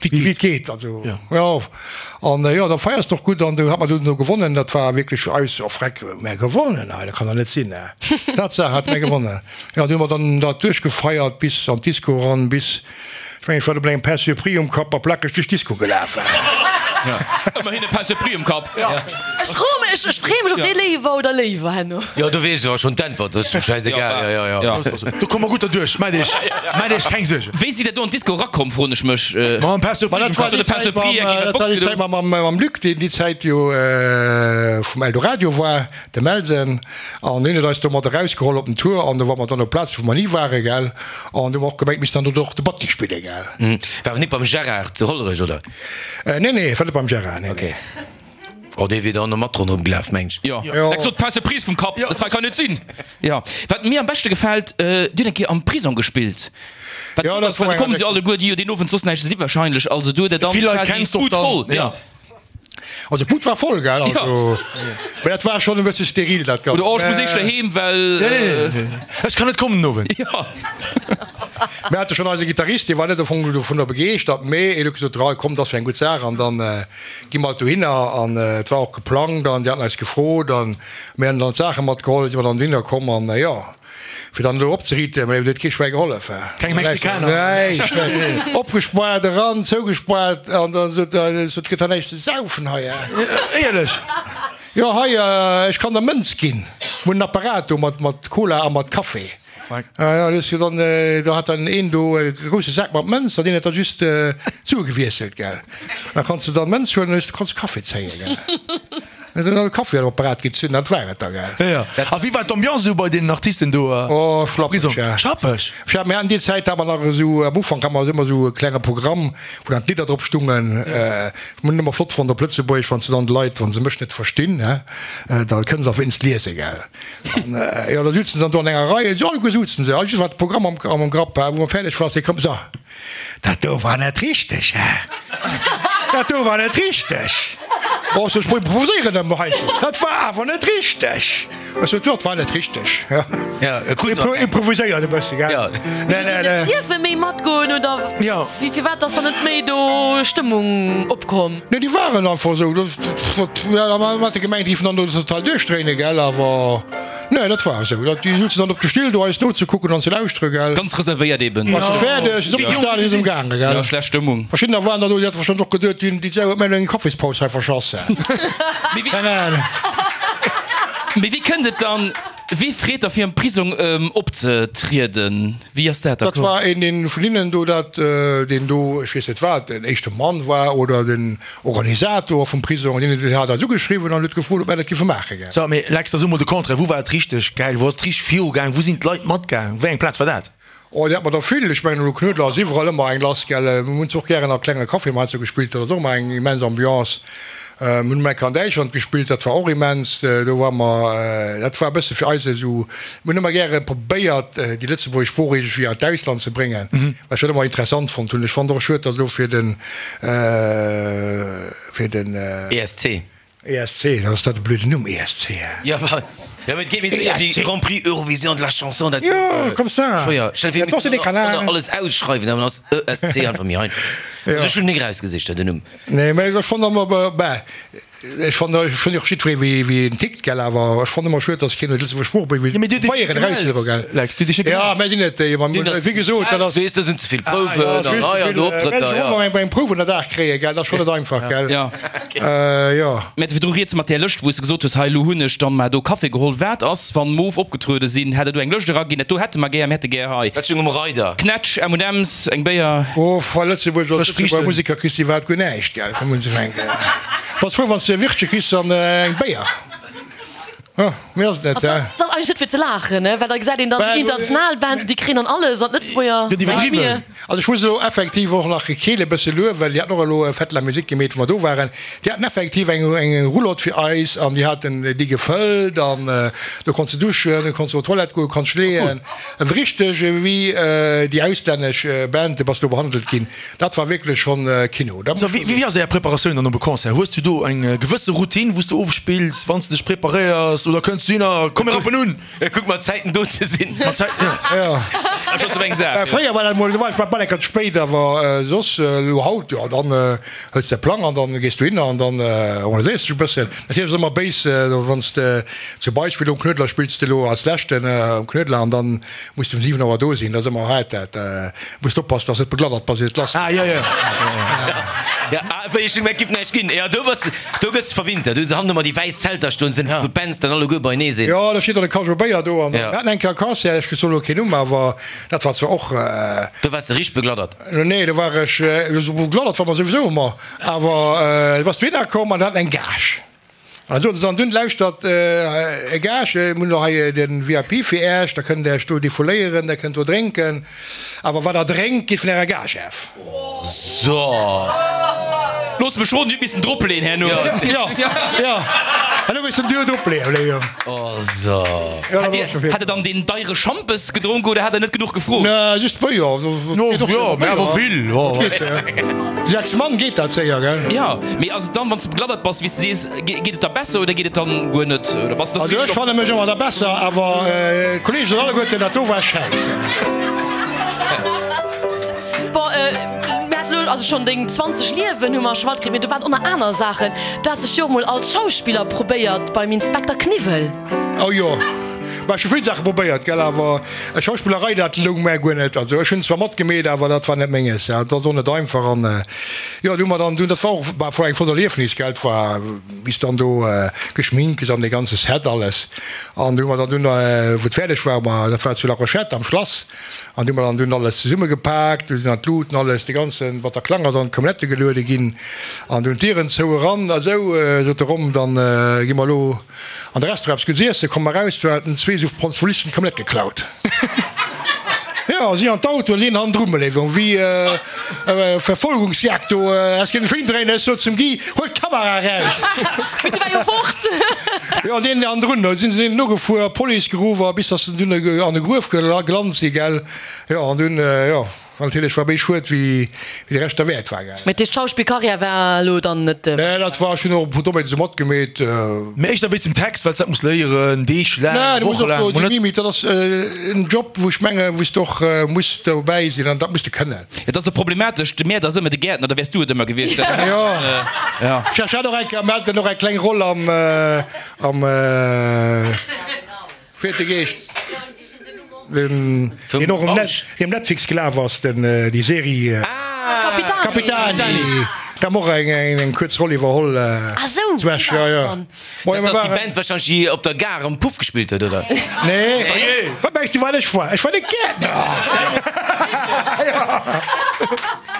wéi et geet. Also, jo. An jo, da feiers de och gutt. An du hat mer dunn do gewonnen. Dat war wierklech fir eis, oh freck, mär gewonnen hei, dat kann dach net sinn, hä? Tatsaach hat mär gewonnen. Jo, an du hu mer dann dat duerchgefeiert bis an d'Disco eran, bis, ech mengen, ech war do mat engem Pain surpris um Kapp a plakeg duerch d'Disco gelaf. Ëmmerhin e Pain surpris um Kapp. Ech froe mech, ech freeë mech op dee Léiwer oder Léiwer herno. Jo, do weess ech awer schonn d'Äntwert, dat ass schäisegal. Jo, jo, jo. Do komme mer gutt derduerch, maacht iech, maacht iech keng Suergen. Wéi sidd der do an d'Disco erakomm, froen ech mech. Mam Pain surpris um Kapp. De Pain surpris eng Dat war déi Zäit mam Luc, deen déi Zäit jo vum Eldoradio war, de Melsen, an hien huet eis do mat erausgeholl op den Tour an do ware mer dann op Plaze wou mer ni waren, gell, an do hu mer och gemengt, missten dann do och de Batti spillen, gell. War awer nik beim Gérard zu Hollerech, oder? Nee, nee, war net beim Gérard, nee, nee. Oh, dee wier da och mat ronderëm gelaf, meng ech. Jo, dat sot d'Pain surprise vum Kapp, dat hei kann net sinn. Jo, wat mir am beschte gefält, Dir hutt eng Kéier am Prisong gespillt. Wat Jo, dat war da eng kommen se Anekdot. alleguer, déi jo deen Owend soss näischt ze di wahrscheinlech, also do hutt Der dann Vill Leit quasi kenns de och d'Bud dann, voll. ja. Also d'Bud war voll, gell, also, mä dat war schonn e bësse steril, dat Ganzt. Oder oh, ech muss éischter heem, well. Nee, nee, ech kann net kommen den Owend. Jo. Mir hate schonn eise Gittarist, dee war net am Fong dovunner begeeschtert, mä en huet gesot, Rei, komm, dat ass jo eng gutt Saach an dann gi mer halt dohinner an et war och geplangt an déi haten eis gefrot an mir haten dann d'Saache matgeholl, si mer dann dohinner komm an jo, fir dann elo opzeriiten, mä et huet kee Schwäi gehollef. Keng Mexikaner? Näischt, net. Opgespaart eran, zougespaart an dann sot en, et gëtt hei näischt ze saufen hei. Éierlech? Jo, hei, ech kann der Mënz ginn, mir hunn en Apparat do mat Cola a mat Café. Ja, das jo dann, do hat dann een do e grousse Sak mat Mënz, an deen huet da just d'Sue gewiesselt, gell. Da kanns de dann Mënz huelen, an hues, kanns Kaffi zéien, gell. Dann e Kaffi an Apparat gezunn, dat war et da, gell. Jo, jo. A wéi war d'Ambiance esou bei deenen Artisten do am Oh, schlappeg, Prisong? ja. Schlappeg? Ja, mir haten déi Zäit, hat mer nach esou, am Ufank hat mer ëmmer esou e klenge Programm, wou dann d'Lidder drop stungen. Ech hunn ëmmer flott fonnt op Lëtzebuergesch, wann s de dann de Leit, wa se mech net verstinn, hä, da kënne se auf wéinst liese, gell. An, jo, da sutzen se dann do an enger Rei, esou alleguer sutzen se, a just wat de Programm am, am Grapp war, wou mer fäerdeg war, se komm, so. Dat do war net richteg, hä? Dat do war net richteg! Oh, ech improviséieren ëmmer heiansdo. Dat war awer net richteg! Ech sot, Jo, dat war net richteg. Ja, Improviséiert e bësse, gell? Ja. Nee, nee, nee. Dierfe méi matgoen oder wéi? Firwat ass dann net méi do Stëmmung opkomm? Nee, déi waren einfach esou. Ja, da hat e gemengt, déi géifen dann do total duerchdréinen, gell? Awer. Nee, dat war esou. Dat, déi souzen dann op de Still do eis nozekucken an ze lauschtere, gell. Ganz reservéiert eben. War se fäerdeg, sinn opgestanen, si sinn gaangen, gell. Ja, schlecht Stëmmung. Verschiddener waren dann do, déi hate warscheinlech och geduet, déi, déi Sau huet mir elo eng Kaffispaus hei verschass. Mee wéi, Keng Ahnung. mee wéi kënnt et dann, wee freet da fir am Prisong opzetrieden? Wéi ass dat da Dat komm? war een, deen vun hinnen do dat, deen do, ech weess net wat, den éischte Mann war oder den Organisator vum Prisong, an deen hat eis ugeschriwwen an huet gefrot, ob mär dat giffe maache gell. So, mee Lex, da so mol de Contraire, wou war et richteg gäil, wou ass et richteg virugaang, wou sinn d'Leit matgaang, wéi eng Plaz war dat? Oh, déi hat mer der vill. Ech mengen, elo Knuedler ass iwwerall ëmmer eng lass, gell. Mir hunn se och gären a klenge Caféen heiansdo gespillt, dat ass och ëmmer eng immens Ambiance. Mir hunn eng Kéier an Däitschland gespillt, dat war och immens. Do ware mer, dat war e bësse fir eis esou, mir hunn ëmmer gäre probéiert, déi lëtzebuergesch Sprooch iergendwéi an d'Ausland ze bréngen, wat ech dat ëmmer interessant fonnt hunn. Ech fonnt och schued, datt elo fir den, fir den. ESC. ESC, dat ass dat e blöden Numm, ESC, hä? Jo, ma, jo, mee et geet méi séier wéi Grand Prix Eurovision de la Chanson, dat Jo, comme ça. schwéier. Stell dir vir, Dat ass mir de missten och Kanal. nach alles ausschreiwen, dann ass ESC einfach méi einfach. Jo. Also ech hunn nik erausgesicht, den Numm. Nee, mä ech fonnt ëmmer, bah, ech fonnt, ech fonnt och jiddweree wéi, wéi en tickt, gell, awer ech fonnt ëmmer schued, datt keen huet Lëtzebuerg Sprooch wéi Ja, mee du hues dech Bayern gemellt, eraushuele, gell. Lex, du hues dech net Ja, gemellt. mä sinn net déi, ma wéi gesot, dat ass. Weess, do sinn ze vill Prouwen an hei an do Optrëtter, jo. jo. Eng Prouf un der Dag kréien, gell, dat ass schonn net einfach, gell. Ja. Jo. Mä virdru rieds mat där Lëscht, wou s de gesot hues, hei elo hunn ech dann mar do Café geholl. Wat ass, wann Moof opgetruede sinn? Hätt der do eng Lëscht eraginn? Dat do hätte mer gär, mir hätte gär hei. Dat stung um Reider. Knätsch, M&M's, eng Béier. Oh, va Lëtzebuerg als Frësch Lëtzebuerger Friichten. Museker kriss de iwwerhaapt guer näischt, gell, vum unzefänken. Bass frou, wann s de e Wirtche kriss an eng Béier. Jo, méi ass et net, Also, hä? dat ass eigentlech net fir ze laachen, ne? Well da gesäit een dann déi international Band, déi kréien dann alles an d'Lëtzebuerger Gëtt näischt iwwerdriwwen. méi. Also ech muss elo effektiv och nach Keel e bësse luewen, well déi haten och elo Fête de la Musique gemeet, wou mer do waren. Déi haten effektiv eng eng Roulotte fir eis an déi haten déi gefëllt an do konns de duschen, do konns de op d'Toilette goen, konns leeën. Richteg ewéi déi auslännesch Band bass do behandelt ginn. Dat war wierklech schonn Kino. Dat So, muss wéi wéi ass Är Preparatioun dann op e Concert? Hues du do eng gewësse Routine, wou s du ofspills, wann s de dech preparéiers oder kënns du hin a komm mir rappen un? Kuck mat Zäiten do ze sinn. Mat Zäiten, jo. Jo. Ech ass op eng Saach, jo. Fréier war dat mol, do war ech bal eng Kéier ze spéit, awer soss elo haut, jo, dann hëls de Plang an dann gees du hin an dann organiséiers dech e bëssen. Natierlech ass ëmmer béis, wann s de zum Beispill um Knuedler spills de elo als leschten um Knuedler an dann muss de um 7 Auer do sinn. Dat ass ëmmer haart dat. Muss oppassen, dass net begladdert bass ier et lass geet. Ah, jo, jo. Ja, ah, wéi ech hunn gemengt, giff näischt ginn. Jo, do bass, do gëss de verwintert. Do hu se hannen ëmmer déi wäiss Zelter stoen, sinn, wou d'Bands dann alleguer beinee sinn. Jo, do steet dann e Cageot Béier do an Ja. mir haten eng Kéier e Concert, ech soen elo keen Numm, awer dat war zwar och. Do waars de richteg begladdert. Nee, do war ech, begladdert war mer souwisou ëmmer, awer du bass dohinner komm an haten eng Gage. An da soten se dann dunn, Lauschtert, Här Gage, mir hunn elo hei de VIP fir Äech, da kënnt Der Äech do defouléieren, Der kënnt do drénken, awer wat Der drénkt, geet vun Ärer Gage af. So. Looss mech roden, Dir hutt missen dropleeën herno. Jo, jo, herno missen Dir dropleeën. Oh, so. Hat Dir, hat Der dann deen deiere Schampes gedronk oder hat Der net genuch gefrot? Nee, just Béier. Jo, mä awer vill. 6 Mann geet dat séier, gell? Jo, mee ass et dann, wann s de begladdert bass, wéi s de sees, geet et da besser oder geet et dann guer net? Oder bass de Also ech fanne mech ëmmer da besser, awer d'Kollegen soen alleguerten, dat do war schäisse. Bon, mir haten elo also schonn deng 20 Liewen hu mer scho matkritt, mee do waren och nach aner Saachen. Du has dech jo och mol als Schauspiller probéiert beim Inspekter Kniwwel. Oh jo. Mä ech hu vill Saache probéiert, gell, awer Schauspillerei, dat loung mär guer net. Also ech hunn zwar matgemeet, awer dat war net menges. Dat ass och net einfach. An jo, du hu mer dann dunn, dat war och war eng flott Erliefnis, gell, et war bis dann do geschminkt gëss an dee ganze Set alles. An du hu mer dann dunn, wou et fäerdeg war, ma dat war zu La Rochette am Schlass, an du hu mer dann dunn alles zesummegepaakt, du sinn dann d'Luuten, alles, de ganze Bataclan ass an d'Camionnette geluede ginn an dunn d'Dieren zou eran a sou, sot de Rom, dann gi mer elo An de Restaurant eppes gutt iessen, komm eraus, do haten zwee sou Franzolisten d'Camionnette geklaut. Jo, si an d'Auto, an een hannendru, Beléiwung, wéi Verfolgungsjagd do, häss kënnen e Film dréinen. Ech sot zum Guy, Huel d'Kamera eraus! Mee du war jo fort! Jo, an deen hannendrun, do sinn se deenen nogefuer, Police geruff, a bis datt se dunn an e Gruef gelant si, gell. Jo, an dunn, jo. Wat natierlech war méi schued wéi de Rescht derwäert war, gell. Mee d'Schauspillkarriär war elo dann net. Nee, dat war, ech hunn och e puer Dommheeten esou matgemeet. Mee éischter wéinst dem Text, well s dat muss léieren, Deeg laang, Woche laang, Mol net. Dat ass en Job, wou ech menge wou s de och muss dobäi sinn an dat muss de kënnen. Et ass esou problematesch, de Mäerder ass ëmmer de Gäertner, da wäers du et ëmmer gewiescht. Jo, ech hat och eng Kéier, mir haten och eng kleng Roll am, am. Wéi huet de geheescht? Den, deen och um Net, um Netflix gelaf ass, den, déi Serie. Capitani. Capitani. Da hu mer och eng, eng, eng kuerz Roll iwwerholl. Ah sou, Zu Esch, ja, ja. Dat ass déi Band wahrscheinlech, déi op der Gare am Puff gespillt huet, oder? Nee. Wat mengs du, wat ech war? Ech war de Gäertner.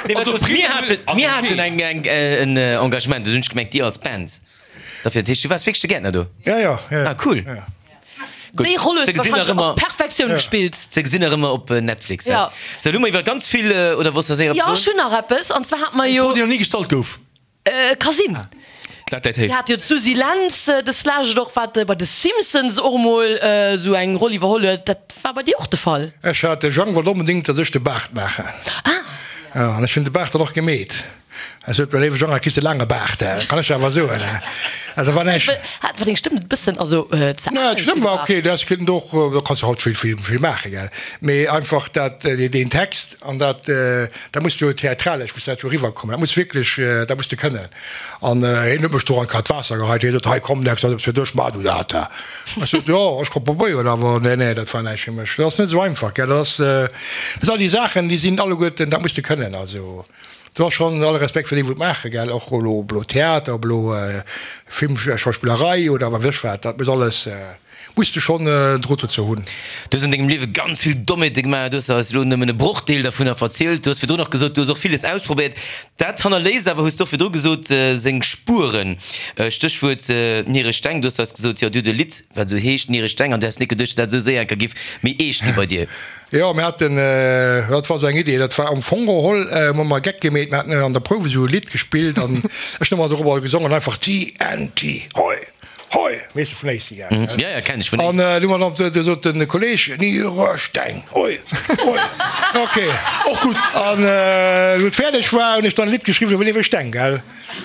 Nee, well mir haten, mir haten eng, eng, en Engagement, do hunn ech gemengt, dir als Band. Dofir, dat heescht, du waars wierklech de Gäertner do? Ja, ja, ja. Ah, cool. Ja. Gutt, Déi Roll hues ze du gesinn nach wahrscheinlech ëmmer, op Perfektioun gespillt. ze gesinn nach ëmmer op Netflix, Ja. Sou, lo hu mer iwwer ganz vill, oder wollts de nach séier Jo, eppes ech soen? hunn nach eppes. An zwar hat mer Eng jo. Fro, déi nach ni gestallt gouf. Ka sinn. D'Lat läit héich. Mir hate jo d'Suzy Lentz deslescht och, wat bei de Simpsons och emol esou eng Roll iwwerholl huet. Dat war bei dir och de Fall? Ech hat, de Jang wollt onbedéngt, datt ech de Baart maachen. Ah. Jo, an ech hunn de Baart dann och gemeet. Ech sot, Mäi léiwe Jang, hei kriss de laange Baart, dat kann ech der awer soen. Also war näischt. Hat war deng Stëmm net e bëssen, also ze Nee, al d'Stëmm fir de war Baart? ok, dat kënnt och, do kanns de haut vill, vill, vill maachen, gell. Mee einfach dat, deen Text an dat, dat muss jo theatralesch muss dat jo eriwwerkommen, dat muss wierklech, dat muss de kënnen. An hien huet mech do an d'kaalt Waasser geheit, hie sot, Hei komm, Lex, dat ass eppes fir dech, maach du dat. Ech sot, Jo, ech ka probéieren, awer nee, nee, dat war näischt fir mech. Dat ass net esou einfach, gell, dat ass, dat sinn all déi Saachen, déi sinn alleguerten, dat muss de kënnen, also. Do ass schonn alle Respekt fir déi wou et maachen, gell, och elo ob elo Theater, ob elo Film, Schauspillerei oder wat weess ech wat, dat muss alles, muss de schonn en Drot dozou hunn. Du hues an dengem Liewe ganz vill Dommheete gemaach, du hues eis elo nëmmen e Brochdeel dervunner verzielt, du hues virdrun och gesot, du hues och villes ausprobéiert. Dat hannerléisst awer, hues du och virdru gesot, seng Spueren. Stéchwuert Nieresteng, du hues eis gesot, jo, du huet e Lidd wat esou heescht, Nieresteng, an du häss net geduecht, datt dat esou séier enker giff méi eescht gi bei dir. Jo, mir haten, dat war esou eng Idee, dat war am Fong geholl, hu mer e Geck gemeet, mir haten an der Prouf esou e Lidd gespillt an ech hunn ëmmer dorobber gesongen, einfach TNT, hoi, hoi, weess de, vun AC, gell? Ja, ja, kenn ech vun AC. An du hu mer dann, du sot den Kolleg, Nieresteng, hoi, hoi, ok, Och gutt. An wou et fäerdeg war, hunn ech dann e Lidd geschriwwen iwwer Nieresteng, gell?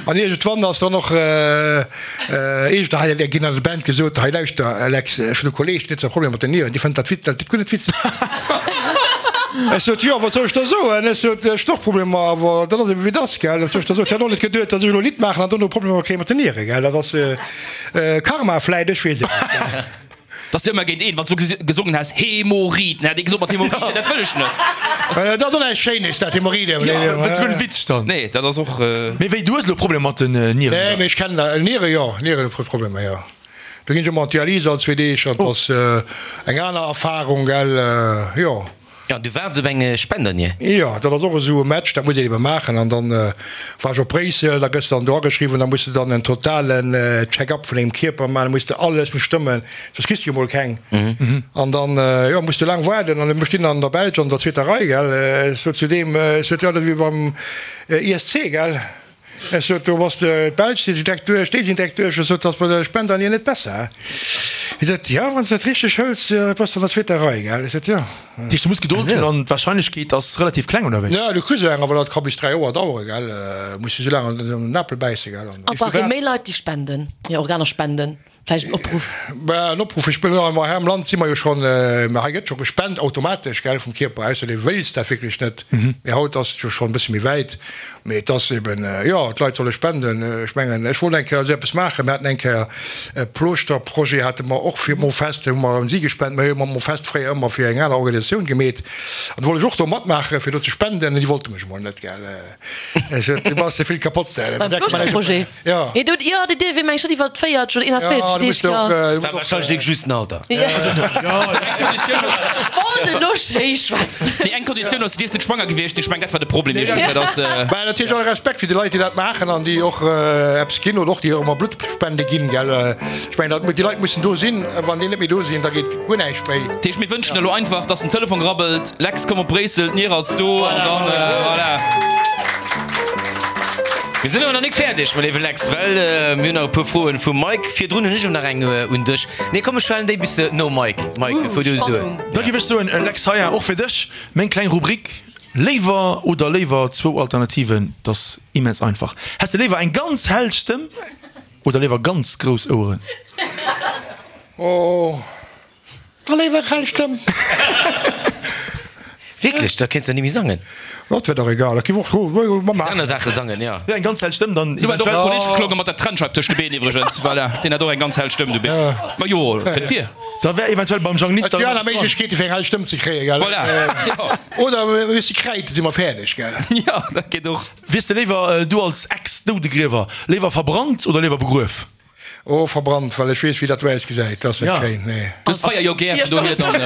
An iergendwann ass dann och iergend hei ginn an der Band gesot, hei lauschter Alex, ech hunn e Kolleeg, deen huet zwar Problemer mat den Nieren, dee fënnt dat wit, dat guer net witzeg. Ech sot, jo, wat soll ech da soen? Ech sot, ech hunn och Problemer, awer dat ass ebe wéi et ass, gell. Wat soll ech da soen? Ech hat och net geduet, datt ech elo e Lidd maachen an dono Problemer kréie mat den Nieren, gell. Dat ass Karma vläit, ech weess et net. Dass de ëmmer géint een, wann s du gesongen häss, Hämorrhoiden, hätt ee gesot, mat Hämorrhoiden, dat wëll ech net. Dat ass och näischt Schéines, dat Hämorrhoiden. Jo, dat ass guer net witzeg dann. Nee, dat ass och. Mee wéi, du hues elo Problemer mat den Nieren, Nee, oder? mee ech kennen Nieren, jo, Nieren hu Problemer, jo. Do ginn ech ëmmer an d'Dialyse all zwee Deeg an dat ass eng aner Erfarung, gell, jo. Ja, du waarts op eng Spendernier. Jo, dat ass och esou e Match, dat muss een ebe maachen. An dann war ech op Bréissel, da gëss de dann do ageschriwwen, da muss de dann en totalen Check-up vun dengem Kierper maachen, da muss de alles muss stëmmen, soss kriss de jo mol keng. An dann, jo, muss de laang waarden. An ech stinn an der Belsch an der zweeter Rei, gell. Ech sot zu deem, ech sot, jo, dat ass wéi beim ISC, gell. Ech sot, do bass de, d'Belsch si direkt duerch, déi sinn direkt duerch. Ech sot, ass bei der Spendernier net besser? Hie sot, jo, wann s de dat richteg hëls, bass de an der zweeter Rei, gell? Ech sot, jo. Dat heescht, du muss Gedold hunn an d'Warscheinlechkeet ass relativ kleng, oder wéi? Jo, du kriss eng, awer dat ka bis 3 Joer daueren, gell? Muss de sou laang an den Apel bäisse, gell? A brauch ee méi Leit, déi spenden, hir Organer spenden? Vläicht en Opruff? Bah, en Opruff, ech wëll soen, hei am Land si mer jo schonn, mä hei gëtt scho gespent automatesch, gell, vum Kierper, ausser dee wéilst dat wierklech net. Mee haut ass et jo schonn e bësse méi wäit. Mee et ass eben, jo, d'Leit solle spenden. Ech mengen, ech wollt eng Kéier esou eppes maachen. Mir haten eng Kéier e Plooschter-Projet hate mer och fir d'Mofest, hu mer un si gespent. Mir hu jo mam Mofest fréier ëmmer fir eng aner Organisatioun gemeet. An do wollt ech och do matmaachen, fir do ze spenden. Déi wollte mech emol net, gell. Ech sot, du bass ze vill kapott. Beim Plooschter-Projet? Jo. Jo, déi dierf ee meng ech net iwwer 40 oder 41 Deeg, jo. War wahrscheinlech just den Alter. Ech wollt elo schéi schwätzen. Déi eng Konditioun ass, du dierfs net schwanger gewiescht sinn. Ech mengen, dat war de Problem iergendwéi, dass. Mä natierlech alle Respekt fir déi Leit, déi dat maachen an déi och eppes ginn oder och déi och ëmmer Bluttspende ginn, gell. Ech mengen, dat, déi Leit mussen do sinn. Wann déi net méi do sinn, da geet guer näischt méi. Dat heescht, mir wënschen elo einfach, dass den Telefon rabbelt, Lex, komm op Bréissel, d'Nier ass do, an dann, voilà. Mir sinn awer nach nik fäerdeg, mäi léiwe Lex, well mir hunn nach e puer Froen vum Mike. Virdrun hunn ech och nach eng un dech. Nee, komm, ech stellen déi bis nom Mike. Mike, fuer du duer. Da giff ech soen, Lex, heia och fir dech meng kleng Rubrik Léiwer oder léiwer, zwou Alternativen, 't ass immens einfach. Häss de léiwer eng ganz hell Stëmm oder léiwer ganz grouss Oueren? Oh. Da léiwer hell Stëmm. Wierklech? Da kéints de ni méi sangen. Dat wär dach egal, dat giff och mat aner Saache sangen, jo. Jo, eng ganz hell Stëmm dann Sou huet och e Kolleg geklongen mat der Trennscheif tëscht de Been iwwregens, voilà, deen hat och eng ganz hell Stëmm, du Been. Ma jo, kënnt vir. Da wär eventuell beim Jang Linster Et gi aner Méiglechkeete fir eng hell Stëmm ze kréien, gell? Voilà, jo. Oder mir si kräid, da si mer fäerdeg, gell? Jo, dat geet och. Wiers de léiwer, du als Ex-Doudegriewer, léiwer verbrannt oder léiwer begruef? Oh verbrannt, well ech weess wéi dat do ausgesäit, dat ass net schéin, nee. Du hues d'Feier jo gär, vun dohier dann.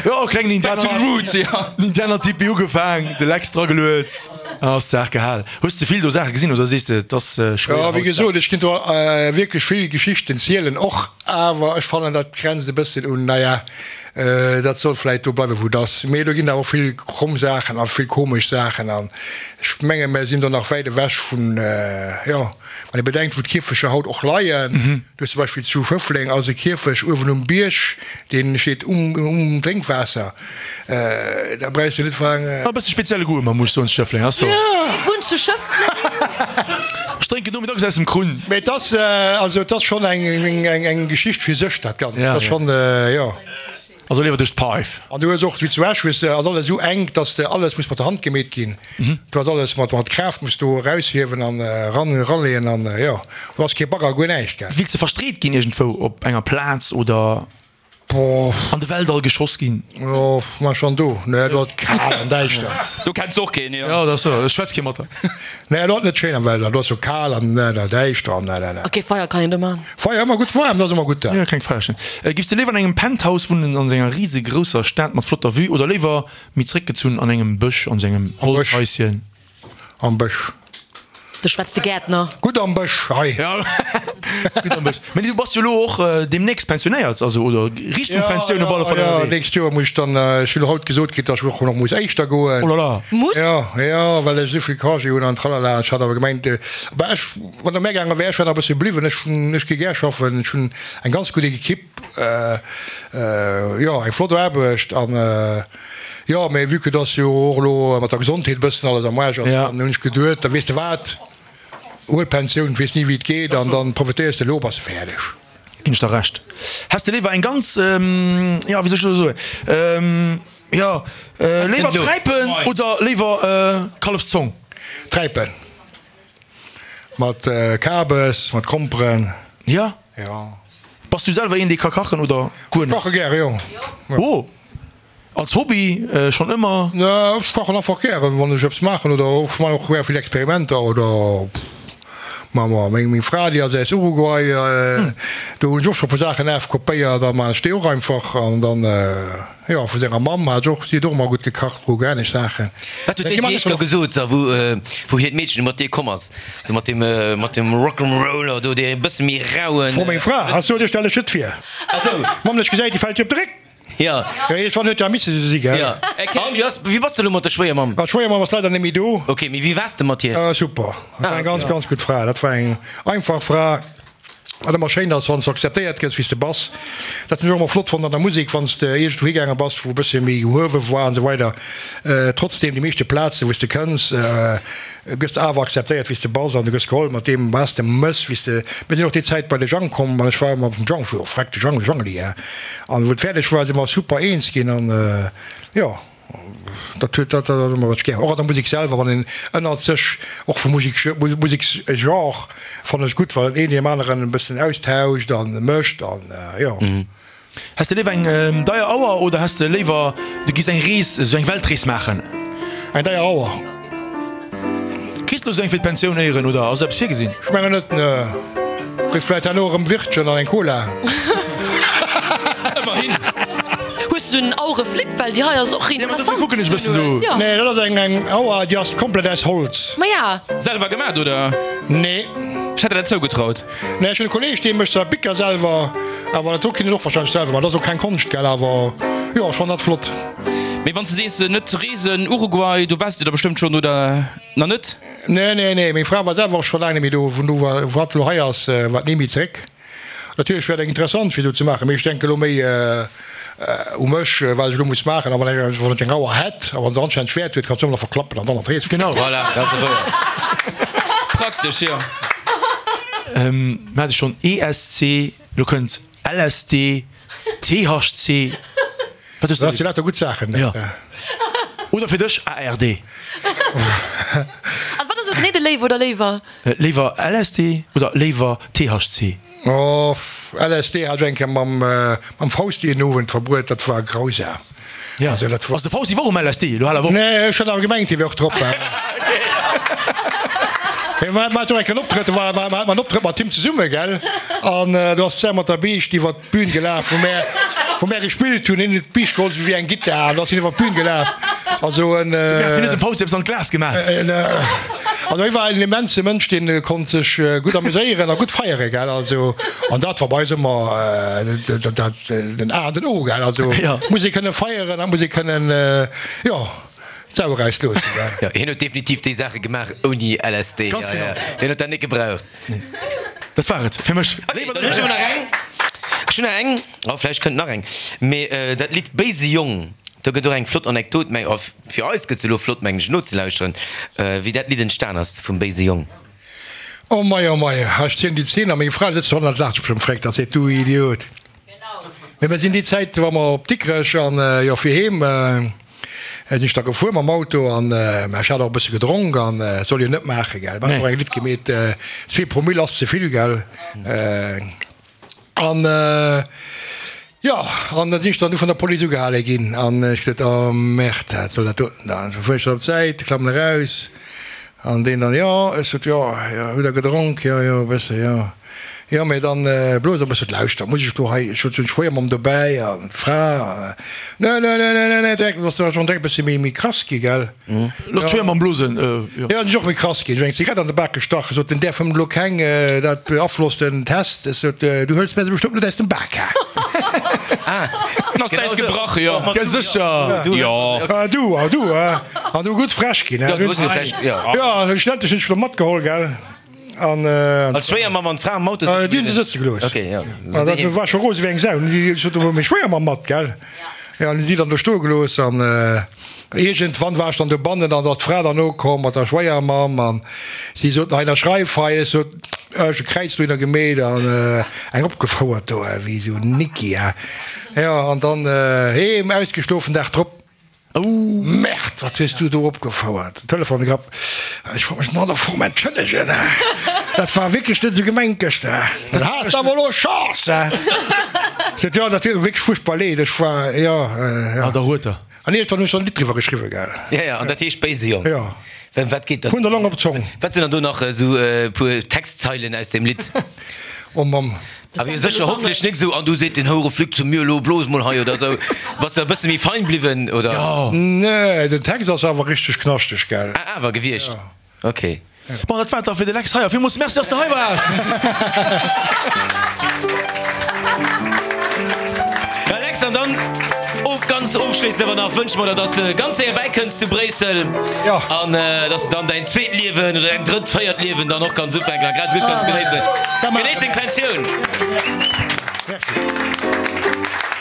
Jo, e klengen Back to the roots, jo. Indianertipi ugefaang, de Lex drageluet an ass d'Saach gehal. Hues de vill do Saache gesinn oder sees de et ass schwéier Jo, wéi haut? gesot, ech kinnt do wierklech vill Geschichten zielen och, awer ech fannen dat grenzt e bësschen un, naja, dat soll vläit do bleiwen wou et ass. Mee do ginn awer och vill kromm Saachen a vill komesch Saachen an ech menge mer sinn do nach wäit ewech vun, jo. Wann ee bedenkt, wou d'Kierfecher haut och leien, du hues zum Beispill zu Schëffleng ass e Kierfech uewen um Bierg, dee steet um Drénkwaasser, da brauchs du net vun. E bësse spezielle Goût ëmmer, muss ech soen, zu Schëffleng ass do. Wie wunnt zu Schëffleng? Ech drénken nomiddags aus dem Krunn. Mee et ass, also et ass schonn eng Geschicht fir sech, dat Ganzt. Et ass schonn, jo. Also léiwer duerch d'Paif. An du hues och, wéi zu Esch, hues de, ass alles esou enk, dass de alles muss mat der Hand gemeet ginn. Du has alles mat mat Kraaft muss du eraushiewen an eran eraleeën an jo, do ass kee Bagger, guer näischt, gell. Wills de verstreet ginn iergendwou op enger Plaz oder an de Weltall geschoss ginn? Jo, ma schon do, ne, do ass et kal an däischter. Do kenns de och keen, jo. Jo, dat ass sou, ech schwätz kee mat der. Nee, do ass et net schéin am Weltall, do ass sou kal an däischter an ne, ne, ne. Ok, Feier kann een do man. Feier ëmmer gutt, waarm, dat ass ëmmer gutt da. Jo, klengt Feierchen. Giffs de léiwer an engem Penthouse wunnen an enger risegrousser Stad mat flotter Vue oder léiwer méi zréckgezunn an engem Bësch an sengem Holzhaischen? Am Bësch. Do schwätzt de Gäertner. Gutt am Bësch hei. Ja, gutt am Bësch. Mee du bass jo elo och deemnächst pensionéiert, also oder Richtung Pensioun op alle Fall Ja, ënnerwee. nächst Joer muss ech dann, ech hunn haut gesot kritt, datt ech och nach muss éischter goen. Oh là là. Muss? Ja, ja, well ech esou vill Congé hunn an tralala. Ech hat awer gemengt, bah ech, Wann der mär gaange wär, ech wär nach e bëssche bliwwen. Ech hunn, ech gi gär schaffen. Ech hunn eng ganz gutt Equipe, jo, eng flott Aarbecht an jo, mee vue que dass jo och elo mat der Gesondheet e bëssen alles am Aarsch ass, dann hunn ech geduet, da weess de wat, huel d'Pensioun, weess ni wéi et geet an dann profitéiers de elo, bass de fäerdeg. Ginn ech der Recht. Häss de léiwer eng ganz, jo, wéi soll ech elo soen, jo, léiwer Träipen oder léiwer Kallefszong? Träipen. Mat Kabes, mat Gromperen. Ja? Ja. Bass du selwer een dee ka kachen oder guer net? Ech kache gäre, jo. Oh! Als Hobby schonn ëmmer? Ne, ech kachen einfach gären, wann ech eppes maachen oder ech man och gär vill Experimenter oder ma ma meng meng Fra déi ass aus Uruguay, do hunn ech och scho puer Saachen afkopéiert a man ech déi och einfach an dann. Jo, vu senger Mamm hat och, si huet och ëmmer gutt gekacht, uruguayanesch Saachen. Wat huet déi Iech do gesot, sa wou wou hiert Meedchen mat dir komm ass, sou mat deem mat deem Rock'n'Roller do, dee e bësse méi rauen. Fro meng Fra, has du, ech stelle ech net vir. Mamm lech gesäit, déi fält dir op de Réck. Jo. Jo, iergendwann huet jo misse sou si, gell? Jo. An wéi ass, wéi bass de elo mat der Schwéiermamm? Ma d'Schwéiermamm ass leider net méi do. Ok, mee wéi waars de mat hir? Super, dat war eng ganz, ganz gutt Fra. Dat war eng einfach Fra. Wat ëmmer schéin ass, wann s de akzeptéiert gëss, wéi s de bass. Dat hunn ech och ëmmer flott fonnt an der Musek, wann s de iergendwou higaange bass, wou e bësse méi gehuewe war an esou weider. Trotzdeem, déi meeschte Plazen, wou s de kënns, gëss de awer akzeptéiert, wéi s de bass an du gëss geholl mat deem, wat s de mëss, wéi s de. Mir sinn och déi Zäit bei de Jang komm an ech war ëmmer vum Jang, jo, freck de Jang, de Jangeli, hä. An wou et fäerdeg war, si mer super eens ginn an, jo. Dat huet dat dat ëmmer wat ech gär. Och an der Musek selwer, wann een ënnert sech, och vum Musek Museksgenre fannen ech gutt, wann een deem aneren e bëssen austauscht a mécht an jo. Häss de léiwer eng deier Auer oder häss de léiwer du giss eng Rees, esou eng Weltrees maachen? Eng deier Auer. Kriss de lo sou eng fir d'Pensioun éieren oder ass eppes virgesinn? Ech mengen net, ne. Kriss vläit herno erëm Wirtchen an eng Cola. Ëmmerhin. Hues du en Aureflip? Well déi hei ass och interessant. Kucken ech bëssen do. Nee, dat ass eng eng Auer, déi ass komplett aus Holz. Maja. Selwer gemat oder? Nee. Ech hätt der dat zougetraut. Nee, ech hunn e Kolleg, dee mécht zwar Bicker selwer, awer dat do kinnt en och warscheinlech selwer man. Dat ass och keng Konscht, gell, awer jo, ech fannen dat flott. Mee wann s de sees net reesen, Uruguay, do waars de da bestëmmt schonn, oder nach net? Nee, nee, nee, meng Fra war selwer och scho laang net méi do. Vun do wou hatt elo hei ass, war et ni méi zeréck. Natierlech wär et eng interessant fir esou ze maachen, mee ech denke elo méi u mech, wat ech elo muss maachen. A wann ech wann ech eng Auer hätt a wann se anscheinend Schwäert huet, kann se ëmmer nach verklappen an dann an d'Rees. Genau. Voilà, dat ass wouer. Praktesch, jo. Mir hate schonn ESC, elo kënnt LSD, THC, wat hues de Dat si lauter gutt Saachen. Jo. Oder fir dech ARD. Also wat ass elo genee de Léiw oder Léiwer? Léiwer LSD oder léiwer THC? Oh, LSD hat ech eng Kéier mam mam Fausti en Owend verbruet, dat war grausam. Ja. Also dat war. Ass de Fausti war och um LSD? Elo hal awer op. Nee, ech hat awer gemengt, hie wär och drop. Mee mer haten och eng Kéier en Optrëtt, do war war hat mer en Optrëtt mat him zesumme, gell? An do ass d'Sär mat der Biischt iwwer d'Bühn gelaf, wou mär wou mär gespillt hunn. Hien huet d'Biischt geholl, esou wéi eng Gittar, an da ass hien iwwer d'Bühn gelaf. Also en. De Bert, wien huet dem Fausti eppes an d'Glas gemat? Also hie war en immense Mënsch, dee konnt sech gutt amuséieren a gutt feiere, gell? Also an dat war bei eis ëmmer dat den A an den O, gell? Also muss ee kënne feieren a muss ee kënnen, jo, d'Sau erausloossen, gell? Jo, hien huet definitiv déi Saache gemaach ouni LSD. Ganz genau. Deen huet dat net gebraucht. Dat war et fir mech. Okay, dann hunn ech awer nach eng. Ech hunn nach eng, oh vläicht kënnt nach eng, mee dat Lidd Béise Jong, do gëtt och eng flott Anekdot, meng, oh fir eis gëtt se elo flott, mengen ech, nozelauschteren, wéi dat Lidd entstan ass vum Béise Jong. Oh mei, oh mei, ech zielen déi Zeen a meng Fra sëtzt do hannert, laacht sech bestëmmt fréck, da seet, du Idiot. Mee mir sinn déi Zäit, war mer op Dikrech an jo fir heem sinn ech da gefuer mam Auto an mä ech hat och e bësse gedronk an soll een net maache gell, mer hunn och eng Lidd gemeet, zwee Promille ass ze vill gell. An jo, an da sinn ech dann du vun der Police ugehale ginn an ech gesot, oh Merde, wat soll dat doten da? An fuer ech dann op d'Säit, klammen eraus an deen dann, jo, ech sot, jo, jo, hutt der gedronk? Jo, jo, e bësse, jo. Jo, mee dann blos e bësse, lauschter, muss ech do hei, ech sot, hunn d'Schwéiermamm dobäi an d'Fra, ne, ne, ne, ne, ne, ne, direkt, ass da schonn direkt e bësse méi, méi krass gi, gell. Looss d'Schwéier mam Blosen, jo. Jo, sinn och méi krass ginn. Ech hunn eng Zigarett an de Bak gestach. Sot en, däerf elo keng, dat beaflosst den Test. Ech sot, du hëls mär se bestëmmt net aus dem Bak, hä? Dann ass d'Äis gebrach, jo. Jo, sécher. Jo. Du, a du, an du gutt frech ginn, hä? Jo, du hues jo frech, jo. Jo, schlussendlech hunn ech se matgeholl, gell. An d'Schwéiermamm an d'Fra am Auto sëtze Déi hunn se sëtze gelooss. Ok, jo. An dat war scho rose wéi eng Sau. Ech sot, Meng Schwéiermamm mat, gell? Jo, an hunn déi dann do stoe gelooss. An iergendwann war ech dann dobannen an da ass d'Fra dann nokomm mat der Schwéiermamm an si sot, Hei, ënnerschreif hei. Ech sot, Ech e Kräiz dohinner gemeet an eng opgefouert do, wéi esou en Nicki, jo. An dann heem, ausgeschlofen, Dag drop. Oh Merde, wat hues du do opgefouert? Telefon gegrapp, Ech wollt mech an aller Form entschëllegen, dat war wierklech net esou gemengt gëschter. Dat has de awer elo Chance! Seet, Jo, dat deet mer wierklech fuerchtbar leed, ech war, jo, jo. Ah, da huet der. An iergendwann hunn ech dann e Lidd driwwer geschriwwen, gell. Ja, ja, an dat heescht Béise Jong. Jo. Wat geet da? Vun der Long op d'Zong. Wat sinn dann do nach esou e puer Textzeilen aus deem Lidd? Oh Mamm. Awer jo sécher hoffentlech nik esou, an du seet den Houreflück zu mir, elo blos mol hei oder esou. Bass de e bësse méi fein bliwwen, oder? Jo. Nee, den Text ass awer richteg knaschteg, gell? Ah, awer gewiescht. Jo. Ok. Bon, dat war et da fir de Lex Heyer. Villmools Merci, dass de hei waars! Ja, Lex, an dann of ganz. Ganz ofschléissend awer nach wënsche mer der, dass de ganz séier bäikënns zu Bréissel an dass de dann däin zweet Liewen oder däin drëtt, véiert Liewen dann och kanns ufänken a grad esou gutt kanns genéissen. Genéiss deng Pensioun! Merci.